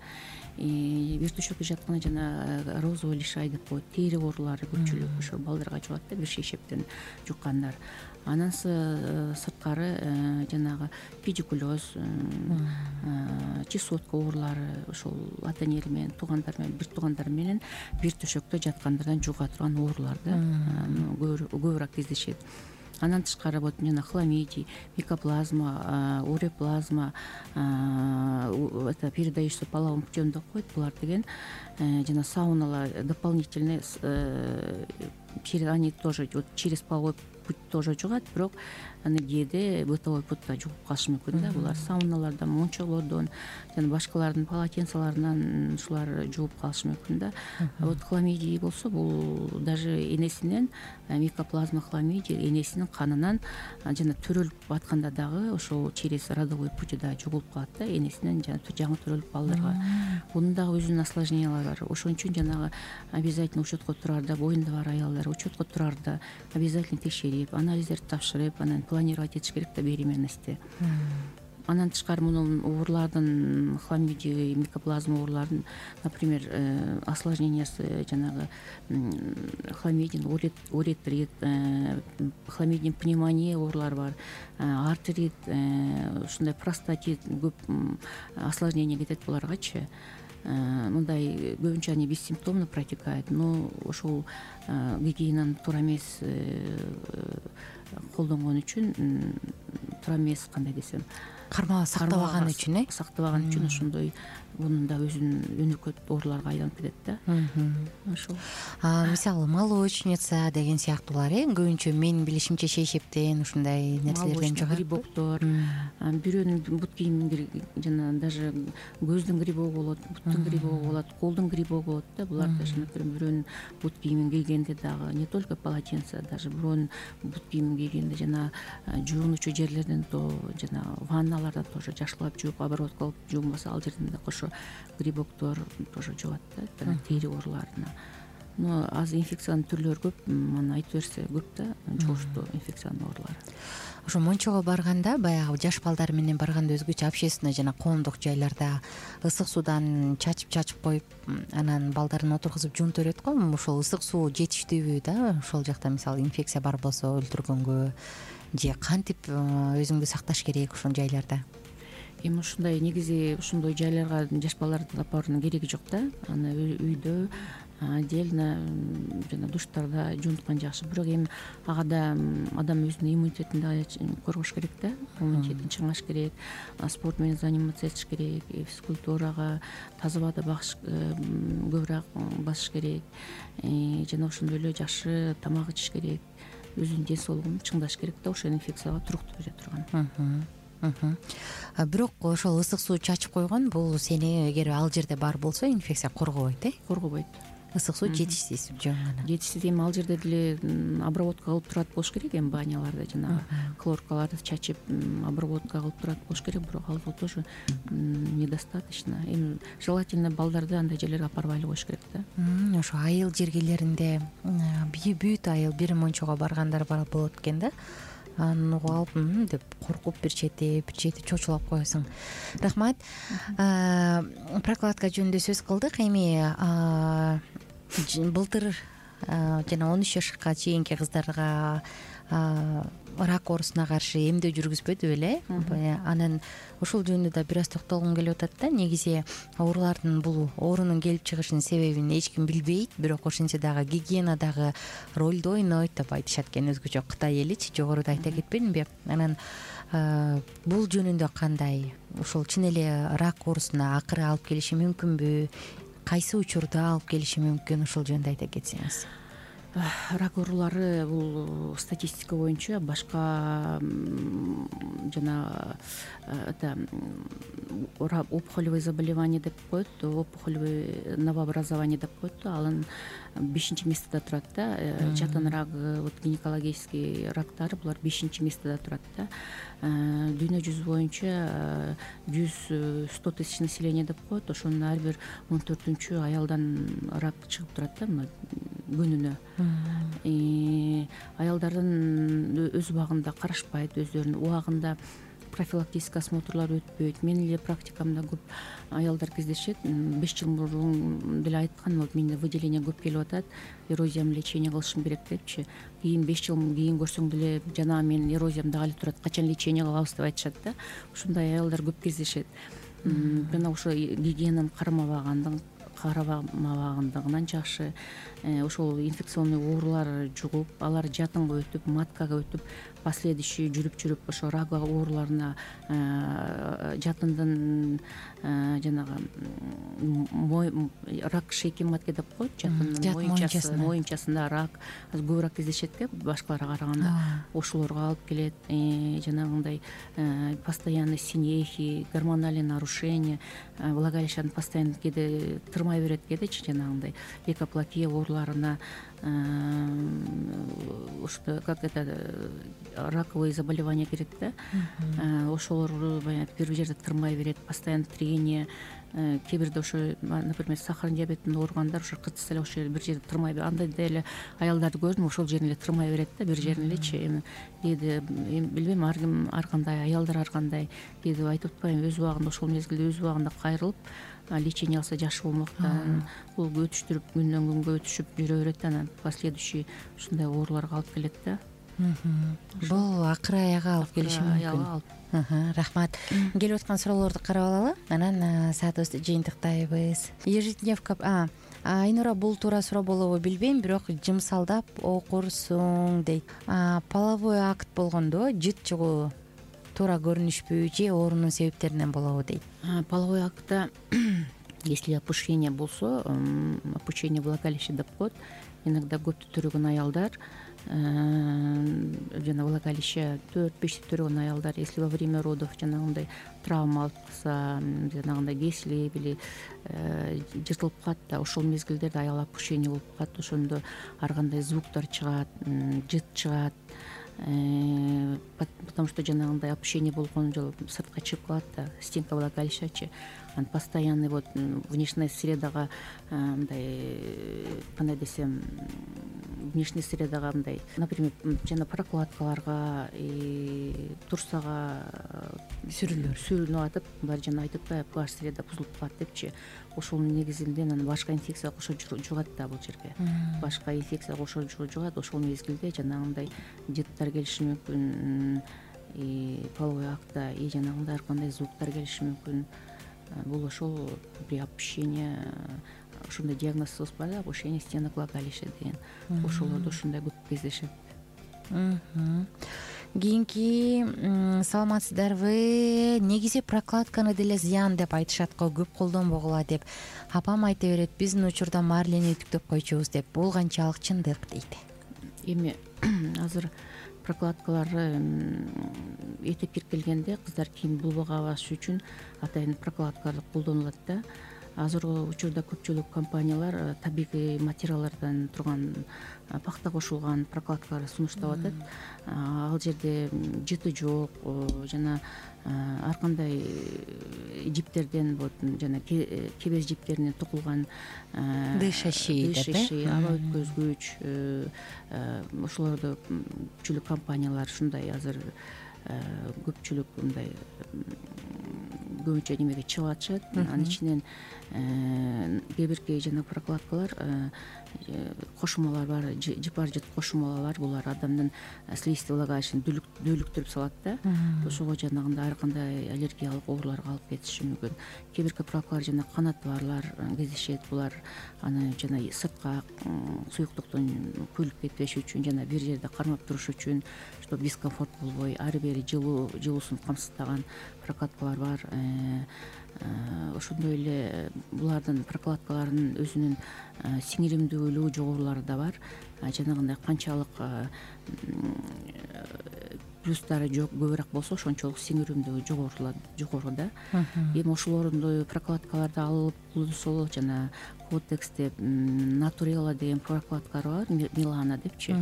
бир төшөктө жатканда жана розовый лишай деп коет, тери оорулары көпчүлүк ошол балдарга жугат да, бир шейшептен жуккандар. Анан сырткары жанагы педикулез, чесотка оорулары ошол ата энелер менен, туугандар менен, бир туугандар менен бир төшөктө жаткандардан жуга турган оорулар да, көбүрөөк кездешет. Андан тышкары вот жана хламидий, микоплазма, уреплазма, это передающийся половым путем деп коет. Булар деген жана сауналар дополнительный, они тоже вот через половой путь тоже жугат, бирок аны кээде бытовой путта жугуп калышы мүмкүн да. Булар сауналардан, мончолордон жана башкалардын полотенцаларынан ушулар жууп калышы мүмкүн да. Вот хламидий болсо, бул даже энесинен, микоплазма хламидий энесинин канынан жана төрөлүп атканда дагы ошол через родовой путьда жугулуп калат да, энесинен жана жаңы төрөлүп балдарга. Бунун дагы өзүнүн осложнениялары бар. Ошон үчүн жанагы обязательно учетко турарда, боюнда бар аялдар учетко турарда обязательно текшерип, анализдерди тапшырып, анан планировать этиш керек да беременности. андан тышкары мунун оорулардын хламидия, микоплазма ооруларынын, например, осложнениясы жанагы хламидин уретрит, хламидин пневмония оорулары бар, артерит, ушундай простатит көп осложнение кетет буларгачы. Мындай көбүнчө они бессимптомно протекает, но ошол гигиенаны туура эмес колдонгон үчүн, туура эмес кандай десем, кармала сактабаган үчүн э сактабаган үчүн ошондой мунун да өзүнүн өнөкөт ооруларга айланып кетет да. Ошол. Мисалы молочница деген сыяктуулар э көбүнчө менин билишимче шейшептен ушундай нерселерден жогат. Грибоктор, бирөөнүн бут кийимин жана даже көздүн грибогу болот, буттун грибогу болот, колдун грибогу болот да. Булар даже, например, бирөөнүн бут кийимин кийгенде дагы не только полотенце, даже бирөөнүн бут кийимин кийгенде жана жуунучу жерлерден то жана ванналарда тоже жакшылап жууп, обработка кылып жуунбаса, ал жерден да кошо грибоктор тоже жугат да, тери ооруларына. Но азыр инфекциянын түрлөрү көп, аны айтып берсе көп да, жугуштуу инфекциянын оорулары. Ошо мончого барганда, баягы жаш балдар менен барганда өзгөчө общественный жана коомдук жайларда ысык суудан чачып-чачып коюп, анан балдарын отургузуп жуунтуп берет го. Ошол ысык суу жетиштүүбү да? Ошол жакта мисалы инфекция бар болсо өлтүргөнгө же кантип өзүңдү сакташ керек ошол жайларда? Эми ушундай негизи ушундай жайларга жаш балдарды алып баруунун кереги жок да. Аны үйдө отдельно жана душтарда жуунткан жакшы. Бирок эми ага да адам өзүнүн иммунитетин да коргош керек да. Иммунитетин чыңгаш керек, спорт менен заниматься этиш керек, физкультурага, таза абада багыш көбүрөөк басыш керек, жана ошондой эле жакшы тамак ичиш керек, өзүнүн ден соолугун чыңдаш керек да, ошол инфекцияга туруктуу бере турган. Бирок ошол ысык суу чачып койгон бул сени эгер ал жерде бар болсо инфекция коргобойт э? Коргобойт. Ысык суу жетишсиз жөн гана. Жетишсиз. Эми ал жерде деле обработка кылып турат болуш керек, эми баняларды жана хлоркаларды чачып обработка кылып турат болуш керек, бирок ал тоже недостаточно. Эми желательно балдарды андай жерлерге алып барбай эле коюш керек да. Ошо айыл жергелеринде бүт айыл бир мончого баргандар бар болот экен да. Аны угуп алып деп коркуп бир чети бир чети чочулап коесуң. Рахмат. Прокладка жөнүндө сөз кылдык. Эми былтыр жана он үч жашка чейинки кыздарга рак оорусуна каршы эмдөө жүргүзбөдү беле? Анан ошол жөнүндө да бир аз токтолгум келип атат да. Негизи оорулардын бул оорунун келип чыгышынын себебин эч ким билбейт, бирок ошентсе дагы гигиена дагы ролду ойнойт деп айтышат экен өзгөчө Кытай эличи. Жогоруда айта кетпедимби? Анан бул жөнүндө кандай? Ошол чын эле рак оорусуна акыры алып келиши мүмкүнбү? Кайсы учурда алып келиши мүмкүн? Ошол жөнүндө айта кетсеңиз. Рак оорулары бул статистика боюнча башка жана это опухолевое заболевание деп коет, опухолевое новообразование деп коет. Алын бешинчи местеде турат да. Жатын рак, вот гинекологический рактар булар бешинчи местеде турат да. Дүйнө жүзү боюнча жүз сто тысяч население деп коет. Ошонун ар бир он төртүнчү аялдан рак чыгып турат да күнүнө. Аялдардын өз убагында карашпайт, өздөрүнүн убагында профилактический осмотрлар өтпөйт. Менин эле практикамда көп аялдар кездешет. беш жыл мурун деле айткан, вот менде выделение көп келип атат, эрозиям лечение кылышым керек депчи. Кийин беш жыл кийин көрсөң деле жана менин эрозиям дагы эле турат, качан лечение кылабыз деп айтышат да. Ушундай аялдар көп кездешет. Жана ошо гигиенаны карамабагандыгы карабамабагындыгынан жакшы, ошол инфекционный оорулар жугуп, алар жатынга өтүп, маткага өтүп, последующий жүрүп-жүрүп ошо рак ооруларына жатындын жанагы рак шейки матки деп коет, жатындын моюнчасы, моюнчасында рак көбүрөөк кездешет экен башкаларга караганда. Ошолорго алып келет, жанагындай постоянный синехи, гормональный нарушение, влагалищенын постоянно кээде тырмай берет кээдечи, жанагындай лейкоплакия ооруларына ошо как это раковые заболевания кирет да, ошолорду баягы бир жерде тырмай берет, постоянно трение. Кээ бирде ошо, например, сахарный диабеттен ооругандар ошо кытса эле ошол бир жерде тырмай берет. Андай деле аялдарды көрдүм, ошол жерин эле тырмай берет да, бир жерин элечи. Эми кээде билбейм, ар ким ар кандай, аялдар ар кандай. Кээде айтып атпайбы, өз убагында ошол мезгилде өз убагында кайрылып лечение алса жакшы болмок да. Бул өтүштүрүп күндөн күнгө өтүшүп жүрө берет, анан последующий ушундай ооруларга алып келет да. Бул акыр аягы алып келиши мүмкүн. Рахмат. Келип аткан суроолорду карап алалы, анан саатыбызды жыйынтыктайбыз. Ежедневка Айнура, бул туура суроо болобу билбейм, бирок жымсалдап окурсуң дейт. Половой акт болгондо жыт чыгуу туура көрүнүшпү же оорунун себептеринен болобу дейт. Половой актта если опущение болсо, опущение влагалища деп коет. Иногда көптү төрөгөн аялдар, жана влагалище төрт бешти төрөгөн аялдар, если во время родов жанагындай травма алып калса, жанагындай кесилип или жыртылып калат да, ошол мезгилдерде аял опущение болуп калат. Ошондо ар кандай звуктар чыгат, жыт чыгат. Потому что жанагындай опущение болгон жолу сыртка чыгып калат да, стенка влагалищачы. Анан постоянный вот внешняя средага мындай, кандай десем, внешний средага мындай, например, жана прокладкаларга, турсага сүрүлөр сүрүнүп атып, булар жана айтып атпайбы, pH среда бузулуп калат депчи. Ошонун негизинде анан башка инфекция кошо жугат да бул жерге. Башка инфекция кошо жугат, ошол мезгилде жанагындай жыттар келиши мүмкүн, и половой актта и жанагындай ар кандай звуктар келиши мүмкүн. Бул ошол при опущение, ошондой диагноз бар да, опущение стенок влагалища деген. Ошолордо ушундай көп кездешет. Кийинки, саламатсыздарбы? Негизи прокладканы деле зыян деп айтышат го, көп колдонбогула деп. Апам айта берет, биздин учурда марлени үтүктөп койчубуз деп. Бул канчалык чындык дейт. Эми азыр прокладкалар этеп кирип келгенде кыздар кийин булбага басыш үчүн атайын прокладкалар колдонулат да. Азыркы учурда көпчүлүк компаниялар табигый материалдардан турган пахта кошулган прокладкалар сунуштап атат. Ал жерде жыты жок, жана ар кандай жиптерден, вот жана кебез жиптеринен токулган дышащий, аба өткөзгүч, ошолорду көпчүлүк компаниялар ушундай азыр көпчүлүк мындай көбүнчө немеге чыгып атышат. Анын ичинен кээ бирки жана прокладкалар кошумалар бар, жыпар жыт кошумалар, булар адамдын слизистый влагалищын дүүлүктүрүп салат да. Ошого жанагындай ар кандай аллергиялык ооруларга алып кетиши мүмкүн. Кээ бирки прокладкалар жана канаты барлар кездешет, булар аны жана сыртка суюктуктун күлүп кетпеш үчүн, жана бир жерде кармап туруш үчүн, чтобы дискомфорт болбой, ары бери жылуу жылуусун камсыздаган прокладкалар бар. Ошондой эле булардын прокладкаларынын өзүнүн сиңиримдүүлүгү жогорулары да бар. Жанагындай канчалык плюстары көбүрөөк болсо, ошончолук сиңиримдүүлүгү жогору да. Эми ошолордун прокладкаларды алып булсо, жана Котекс деп, Натурела деген прокладкалар бар, Милана депчи.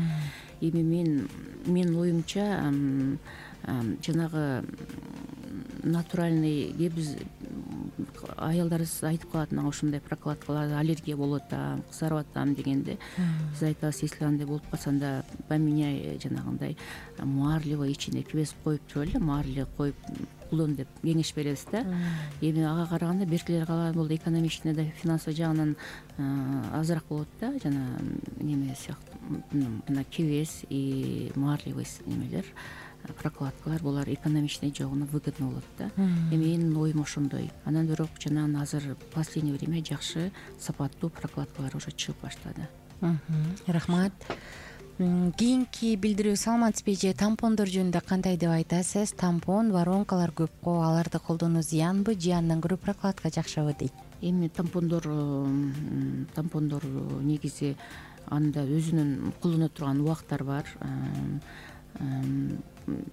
Эми мен менин оюмча жанагы натуральный, биз аялдарыбыз айтып калат, мага ушундай прокладкалар аллергия болуп атам, кызарып атам дегенде, биз айтабыз, если андай болуп калса, анда поменяй жанагындай марлевый ичине кебез коюп туруп эле, марли коюп колдон деп кеңеш беребиз да. Эми ага караганда беркилерге калган болду, экономичный да, финансовый жагынан азыраак болот да, жана неме сыяктуу, жана кебез и марлевый немелер, прокладкалар, булар экономичный жагынан выгодно болот да. Эми менин оюм ошондой. Анан бирок жана азыр в последнее время жакшы сапаттуу прокладкалар уже чыгып баштады. Рахмат. Кийинки билдирүү, саламатсызбы же тампондор жөнүндө кандай деп айтасыз? Тампон, воронкалар көп го, аларды колдонуу зыянбы же андан көрө прокладка жакшыбы дейт. Эми тампондор тампондор негизи анда өзүнүн колдоно турган убактар бар.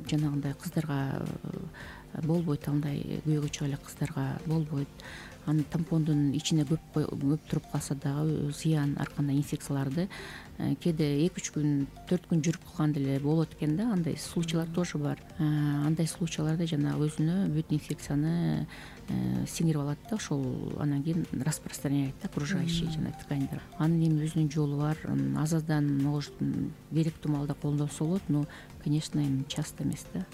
Жанагындай кыздарга болбойт, андай күйөөгө чыга элек кыздарга болбойт. анын тампондун ичине көп көп туруп калса дагы зыян ар кандай инфекцияларды кээде эки үч күн төрт күн жүрүп калган деле болот экен да, андай случайлар тоже бар. Андай случайларда жанагы өзүнө бүт инфекцияны сиңирип алат да, ошол анан кийин распространяет да окружающий жана тканьдар. Анын эми өзүнүн жолу бар. Аз аздан может керектүү маалда колдонсо болот, но конечно эми часто эмес да.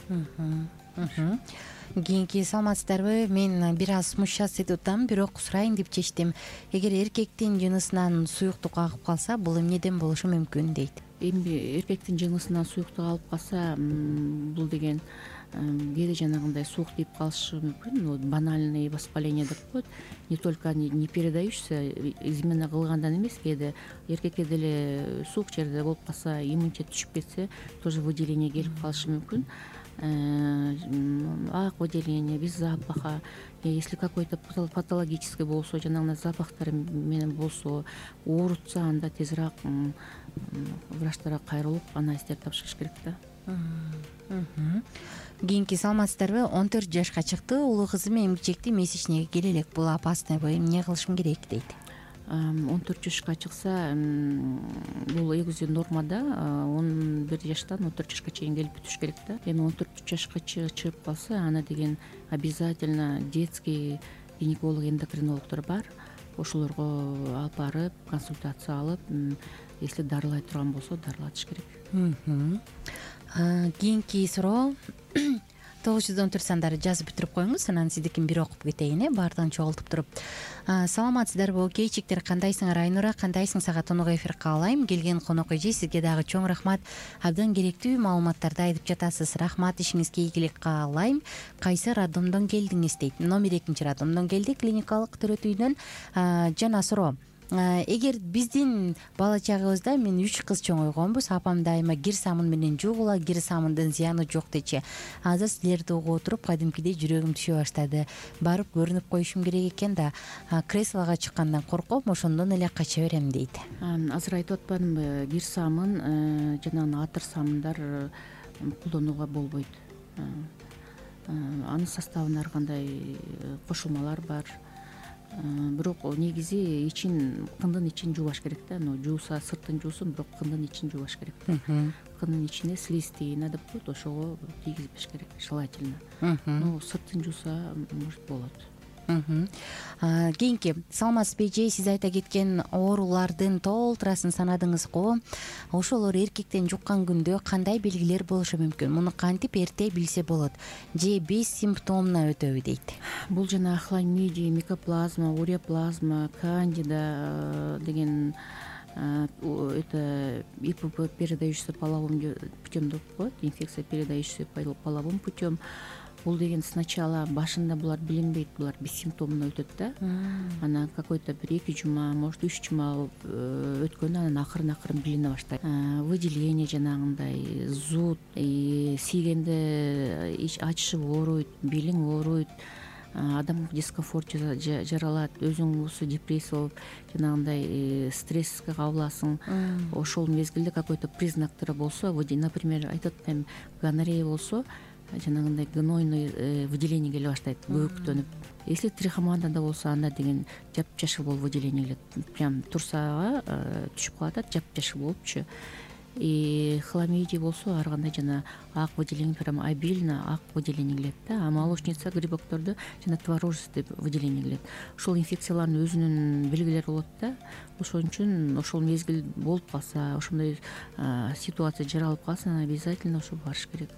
Кийинки саламатсыздарбы? Мен бир аз смущаться этип атам, бирок сурайын деп чечтим. Эгер эркектин жынысынан суюктук агып калса, бул эмнеден болушу мүмкүн дейт. Эми эркектин жынысынан суюктук агып калса, бул деген кээде жанагындай суук тийип калышы мүмкүн. Банальное воспаление деп коет. Не только не передающийся, именно кылгандан эмес, кээде эркекке деле суук жерде болуп калса, иммунитет түшүп кетсе, тоже выделение келип калышы мүмкүн. Ак выделение, без запаха. Если какой-то патологический болсо, жанагындай запахтар менен болсо, оорутса, анда тезирээк врачтарга кайрылып, анализдер тапшырыш керек да. Кийинки саламатсыздарбы? он төрт жашка чыкты, улуу кызым эмгичекти месячныйга келе элек. Бул опаснойбу? Эмне кылышым керек дейт. он төрт жашка чыкса, бул эгизи нормада. он бир жаштан он төрт жашка чейин келип бүтүш керек да. Эми он төрт жашка чыгып калса, аны деген обязательно детский гинеколог, эндокринологдор бар. Ошолорго алып барып, консультация алып, если дарылай турган болсо, дарылатыш керек. Кийинки суроо тогуз жүз он төрт сандары жазып бүтүрүп коюңуз, анан сиздикин бир окуп кетейин, э, баардыгын чогултуп туруп. Саламатсыздарбы? Кейчиктер, кандайсың Райнура? Кандайсың? Сага тонук эфир каалайм. Келген конок эже, сизге дагы чоң рахмат. Абдан керектүү маалыматтарды айтып жатасыз. Рахмат, ишиңизге ийгилик каалайм. Кайсы роддомдон келдиңиз дейт. Номер экинчи роддомдон келдик, клиникалык төрөтүйдөн. Жана суроо: эгер биздин бала чагыбызда мен үч кыз чоңойгонбуз, апам дайыма кир самын менен жуугула, кир самындын зыяны жок дечи. Азыр силерди угуп отуруп, кадимкидей жүрөгүм түшө баштады. Барып көрүнүп коюшум керек экен да, креслого чыккандан корком, ошондон эле кача берем дейт. Азыр айтып атпадымбы, кир самын, жанагы атыр самындар колдонууга болбойт. Анын составында ар кандай кошулмалар бар. Бирок негизи ичин, кындын ичин жуубаш керек да. Но жууса сыртын жуусун, бирок кындын ичин жуубаш керек. Кындын ичине слизистыйна деп коет, ошого тийгизбеш керек желательно. Но сыртын жууса может болот. Кийинки саламатсызбы эже, сиз айта кеткен оорулардын толтурасын санадыңызго. Ошолор эркектен жуккан күндө кандай белгилер болушу мүмкүн? Муну кантип эрте билсе болот? Же без симптомно өтөбү дейт. Бул жана хламидия, микоплазма, уреоплазма, кандида деген это ИПП, передающийся половым путем деп коет, инфекция, передающаяся половым путем. Бул деген сначала башында булар билинбейт, булар бессимптомно өтөт да. Анан какой-то бир эки жума, может үч жума өткөндөн анан акырын акырын билине баштайт. Выделение жанагындай, зуд, тийгенде ачышып ооруйт, белиң ооруйт, адам дискомфорт жаралат, өзүң уусу депрессия болуп, жанагындай стресске кабыласың. Ошол мезгилде какой-то признактары болсо, например, айтат эми гонорея болсо, жанагындай гнойный выделение келе баштайт, бөөктөнүп. Если трихомонада болсо, анда деген жапжашыл болуп выделение келет. Прям турсага түшүп калат, жапжашыл болупчу. И хламидия болсо, ар кандай жана ак выделение, прям обильно ак выделение келет да. А молочница, грибоктордо жана творожистый выделение келет. Ошол инфекциялардын өзүнүн белгилери болот да. Ошон үчүн ошол мезгил болуп калса, ошондой ситуация жаралып калса, обязательно ошо барыш керек.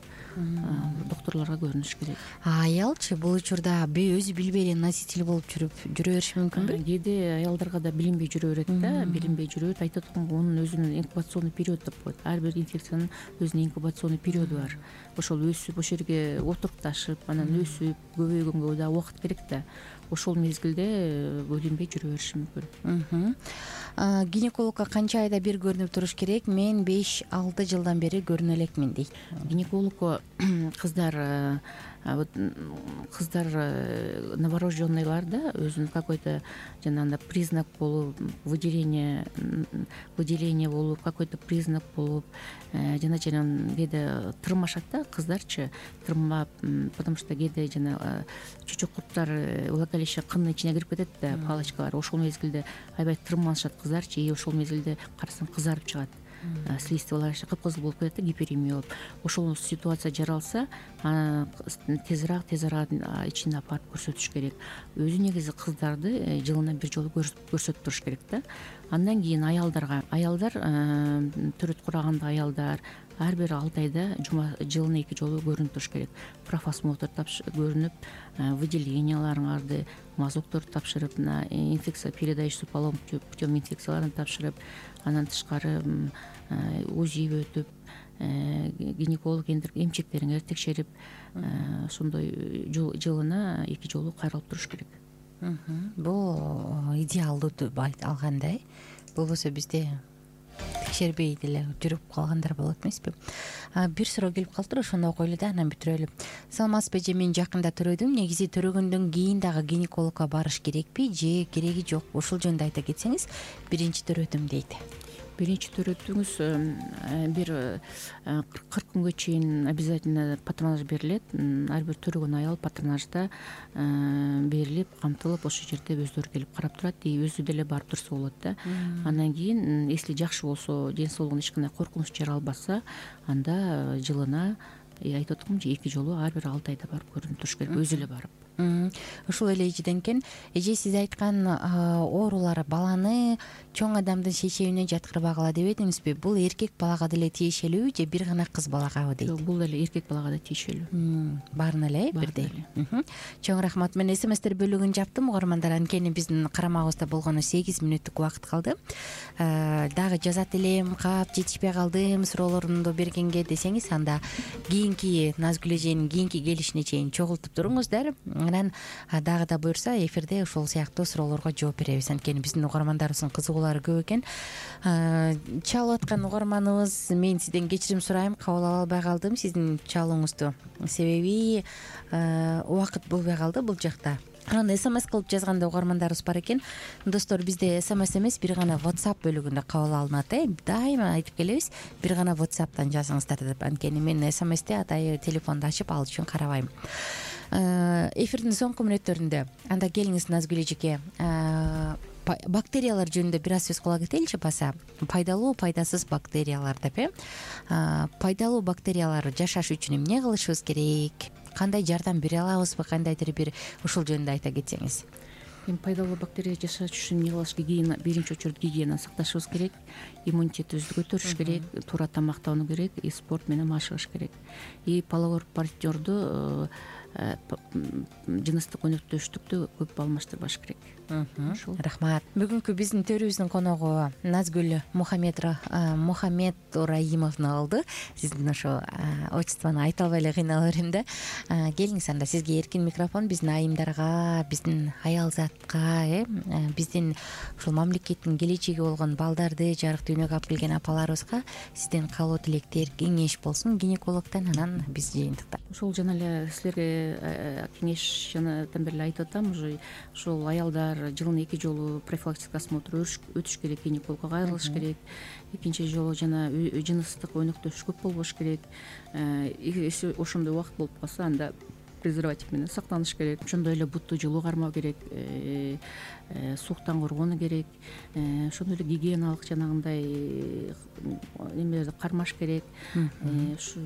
Докторлорго көрүнүш керек. А аялчы бул учурда өзү билбей эле носитель болуп жүрүп жүрө бериши мүмкүнбү? Кээде аялдарга да билинбей жүрө берет да, билинбей жүрө берет. Айтат атканга, онун өзүнүн инкубационный период деп коет. Ар бир инфекциянын өзүнүн инкубационный периоду бар. Ошол өсүп, ошол жерге отурукташып, анан өсүп, көбөйгөнгө да убакыт керек да. Ошол мезгилде билинбей жүрө бериши мүмкүн. Гинекологко канча айда бир көрүнүп туруш керек? Мен беш алты жылдан бери көрүнө элекмин дейт. Гинекологко кыздар кыздар новорожденныйларда өзүнүн какой-то жанагындай признак болуп, выделение выделение болуп, какой-то признак болуп, жана жана кээде тырмашат да, кыздарчы тырмап, потому что кээде жана чучук курттар влагалище кындын ичине кирип кетет да, палочкалар. Ошол мезгилде аябай тырмалышат кыздарчы, и ошол мезгилде карасаң кызарып чыгат. Слизистый влагалище кыпкызыл болуп кетет да, гиперемия болуп. Ошол ситуация жаралса, тезирээк тез арада ичине апарып көрсөтүш керек. Өзү негизи кыздарды жылына бир жолу көрсөтүп туруш керек да. Андан кийин аялдарга, аялдар төрөт кураганда аялдар ар бир алты айда жылына эки жолу көрүнүп туруш керек. Профосмотр көрүнүп, выделенияларыңарды, мазокторду тапшырып, инфекция передающийся половым путем инфекцияларын тапшырып, андан тышкары УЗИ өтүп, гинеколог эмчектериңерди текшерип, ошондой жылына эки жолу кайрылып туруш керек. Бул идеалдуу деп алгандай. Болбосо бизде текшербей деле жүрүп калгандар болот эмеспи? Бир суроо келип калыптыр, ошону окуй эле да анан бүтүрөлү. Саламатсызбы эже, мен жакында төрөдүм. Негизи төрөгөндөн кийин дагы гинекологко барыш керекпи же кереги жок? Ушул жөнүндө айта кетсеңиз. Биринчи төрөдүм дейт. Биринчи төрөтүңүз бир кырк күнгө чейин обязательно патронаж берилет. Ар бир төрөгөн аял патронажда берилип, камтылып, ошол жерде өздөрү келип карап турат, и өзү деле барып турса болот да. Андан кийин, если жакшы болсо, ден соолугуна эч кандай коркунуч жаралбаса, анда жылына айтып аткам же эки жолу ар бир алты айда барып көрүнүп туруш керек, өзү эле барып. Ушул эле эжеден экен. Эже, сиз айткан оорулар баланы чоң адамдын шейшебине жаткырбагыла деп эдиңизби? Бул эркек балага деле тиешелүүбү же бир гана кыз балагабы дейт? Жок, бул эле эркек балага да тиешелүү. Баарына эле бирдей. Чоң рахмат. Мен смстер бөлүгүн жаптым, угармандар. Анткени биздин карамагыбызда болгону сегиз мүнөттүк убакыт калды. Дагы жазат элем, кап жетишпей калдым суроолорумду бергенге десеңиз, анда кийинки Назгүл эженин кийинки келишине чейин чогултуп туруңуздар. Анан дагы да буюрса эфирде ушул сыяктуу суроолорго жооп беребиз. Анткени биздин угармандарыбыздын кызыгуулары көп экен. Чалып аткан угарманыбыз, мен сизден кечирим сурайм, кабыл ала албай калдым сиздин чалууңузду. Себеби убакыт болбой калды бул жакта. Анан смс кылып жазганда угармандарыбыз бар экен. Достор, бизде смс эмес, бир гана WhatsApp бөлүгүндө кабыл алынат. Э, дайыма айтып келебиз, бир гана WhatsApp'тан жазыңыздар деп. Анткени мен смсти атайы телефонду ачып ал үчүн карабайм. Эфирдин соңку мүнөттөрүндө анда келиңиз Назгүл эжеке, бактериялар жөнүндө бир аз сөз кыла кетеличи баса. Пайдалуу, пайдасыз бактериялар деп, э. Пайдалуу бактериялар жашаш үчүн эмне кылышыбыз керек? Кандай жардам бере алабызбы? Кандайдыр бир ушул жөнүндө айта кетсеңиз. Пайдалуу бактерия жашаш үчүн эмне кылыш? Гигиена, биринчи очередь гигиенаны сакташыбыз керек, иммунитетибизди көтөрүш керек, туура тамактануу керек, и спорт менен машыгыш керек. И половой партнерду жыныстык өнөктөштүктү көп алмаштырбаш керек. Рахмат. Бүгүнкү биздин төрүбүздүн коногу Назгүл Мухаммедраимовна болду. Сиздин ошо отчествону айта албай эле кыйналып берем да. Келиңиз, анда сизге эркин микрофон. Биздин айымдарга, биздин аялзатка, э, биздин ушул мамлекеттин келечеги болгон балдарды жарык дүйнөгө алып келген апаларыбызга сизден каалоо тилектер, кеңеш болсун гинекологдон, анан биз жыйынтыктап. Ошол жана эле силерге кеңеш жанадан бери айтып атам, уже ошол аялдар жылына эки жолу профилактический осмотр өтүш керек, гинекологко кайрылыш керек. Экинчи жолу жана жыныстык өнөктөш көп болбош керек. Ошондой убакыт болуп калса, анда презерватив менен сактаныш керек. Ошондой эле бутту жылуу кармоо керек, сууктан коргонуу керек. Ошондой эле гигиеналык жанагындай немелерди кармаш керек. Ушу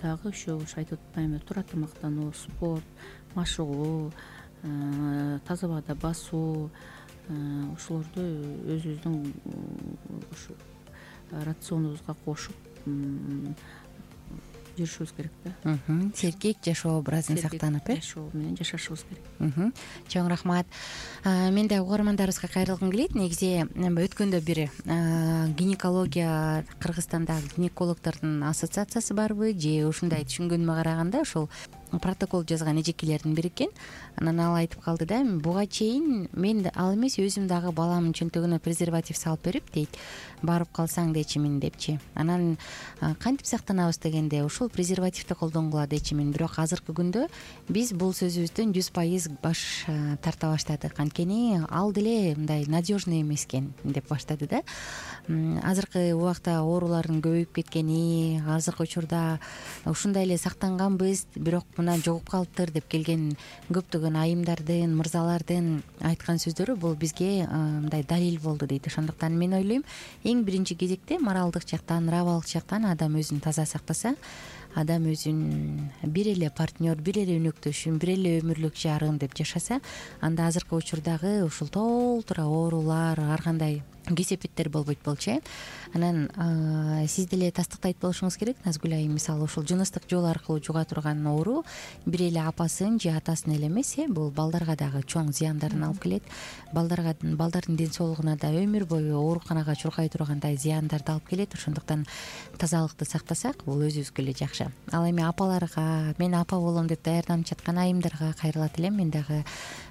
дагы ошо айтып атпаймынбы, туура тамактануу, спорт, машыгуу, таза абада басуу, ошолорду өзүбүздүн ушу рационубузга кошуп жүрүшүбүз керек да. Сергек жашоо образын сактанып, э, жашоо менен жашашыбыз керек. Чоң рахмат. Мен да угармандарыбызга кайрылгым келет. Негизи өткөндө бир гинекология, Кыргызстандагы гинекологдордун ассоциациясы барбы же ушундай түшүнгөнүмө караганда ушул протокол жазган эжекелердин бири экен. Анан ал айтып калды да, буга чейин мен ал эмес өзүм дагы баламдын чөнтөгүнө презерватив салып берип дейт, барып калсаң дечимин депчи. Анан кантип сактанабыз дегенде ушул презервативди колдонгула дечимин. Бирок азыркы күндө биз бул сөзүбүздөн жүз пайыз баш тарта баштадык. Анткени ал деле мындай надежный эмес экен деп баштады да. Азыркы убакта оорулардын көбөйүп кеткени, азыркы учурда ушундай эле сактанганбыз, бирок мына жугуп калыптыр деп келген көптөгөн айымдардын, мырзалардын айткан сөздөрү бул бизге мындай далил болду дейт. Ошондуктан мен ойлойм, эң биринчи кезекте моралдык жактан, нравалык жактан адам өзүн таза сактаса, адам өзүн бир эле партнер, бир эле өнөктөшүм, бир эле өмүрлүк жарым деп жашаса, анда азыркы учурдагы ушул толтура оорулар, ар кандай кесепеттер болбойт болчу э. Анан сиз деле тастыктайт болушуңуз керек, Назгүл айым. Мисалы ушул жыныстык жол аркылуу жуга турган оору бир эле апасын же атасын эле эмес, э, бул балдарга дагы чоң зыяндарын алып келет. Балдарга, балдардын ден соолугуна да өмүр бою ооруканага чуркай тургандай зыяндарды алып келет. Ошондуктан тазалыкты сактасак, бул өзүбүзгө эле жакшы. Ал эми апаларга, мен апа болом деп даярданып жаткан айымдарга кайрылат элем. Мен дагы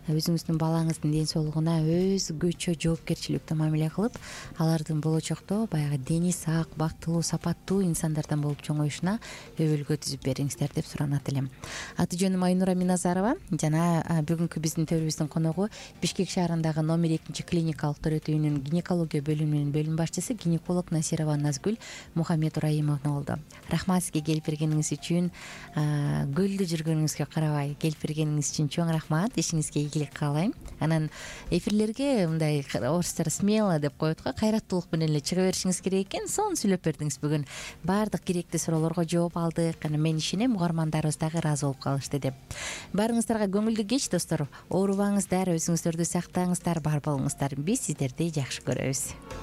өзүңүздүн балаңыздын ден соолугуна өзгөчө жоопкерчиликтүү мамиле кылып, алардын болочокто баягы дени сак, бактылуу, сапаттуу инсандардан болуп чоңоюшуна өбөлгө түзүп бериңиздер деп суранат элем. Аты жөнүм Айнура Миназарова жана бүгүнкү биздин төрүбүздүн коногу Бишкек шаарындагы номер экинчи клиникалык төрөтүү үйүнүн гинекология бөлүмүнүн бөлүм башчысы гинеколог Насирова Назгүл Мухаммедураимовна болду. Рахмат сизге келип бергениңиз үчүн, көлдө жүргөнүңүзгө карабай келип бергениңиз үчүн чоң рахмат. Ишиңизге ийгилик каалайм. Анан эфирлерге мындай орустар смело деп коет го, кайраттуулук менен эле чыга беришиңиз керек экен. Сонун сүйлөп бердиңиз бүгүн. Баардык керектүү суроолорго жооп алдык. Анан мен ишенем, угармандарыбыз дагы ыраазы болуп калышты деп. Баарыңыздарга көңүлдүү кеч, достор. Оорубаңыздар, өзүңүздөрдү сактаңыздар, бар болуңуздар. Биз сиздерди жакшы көрөбүз.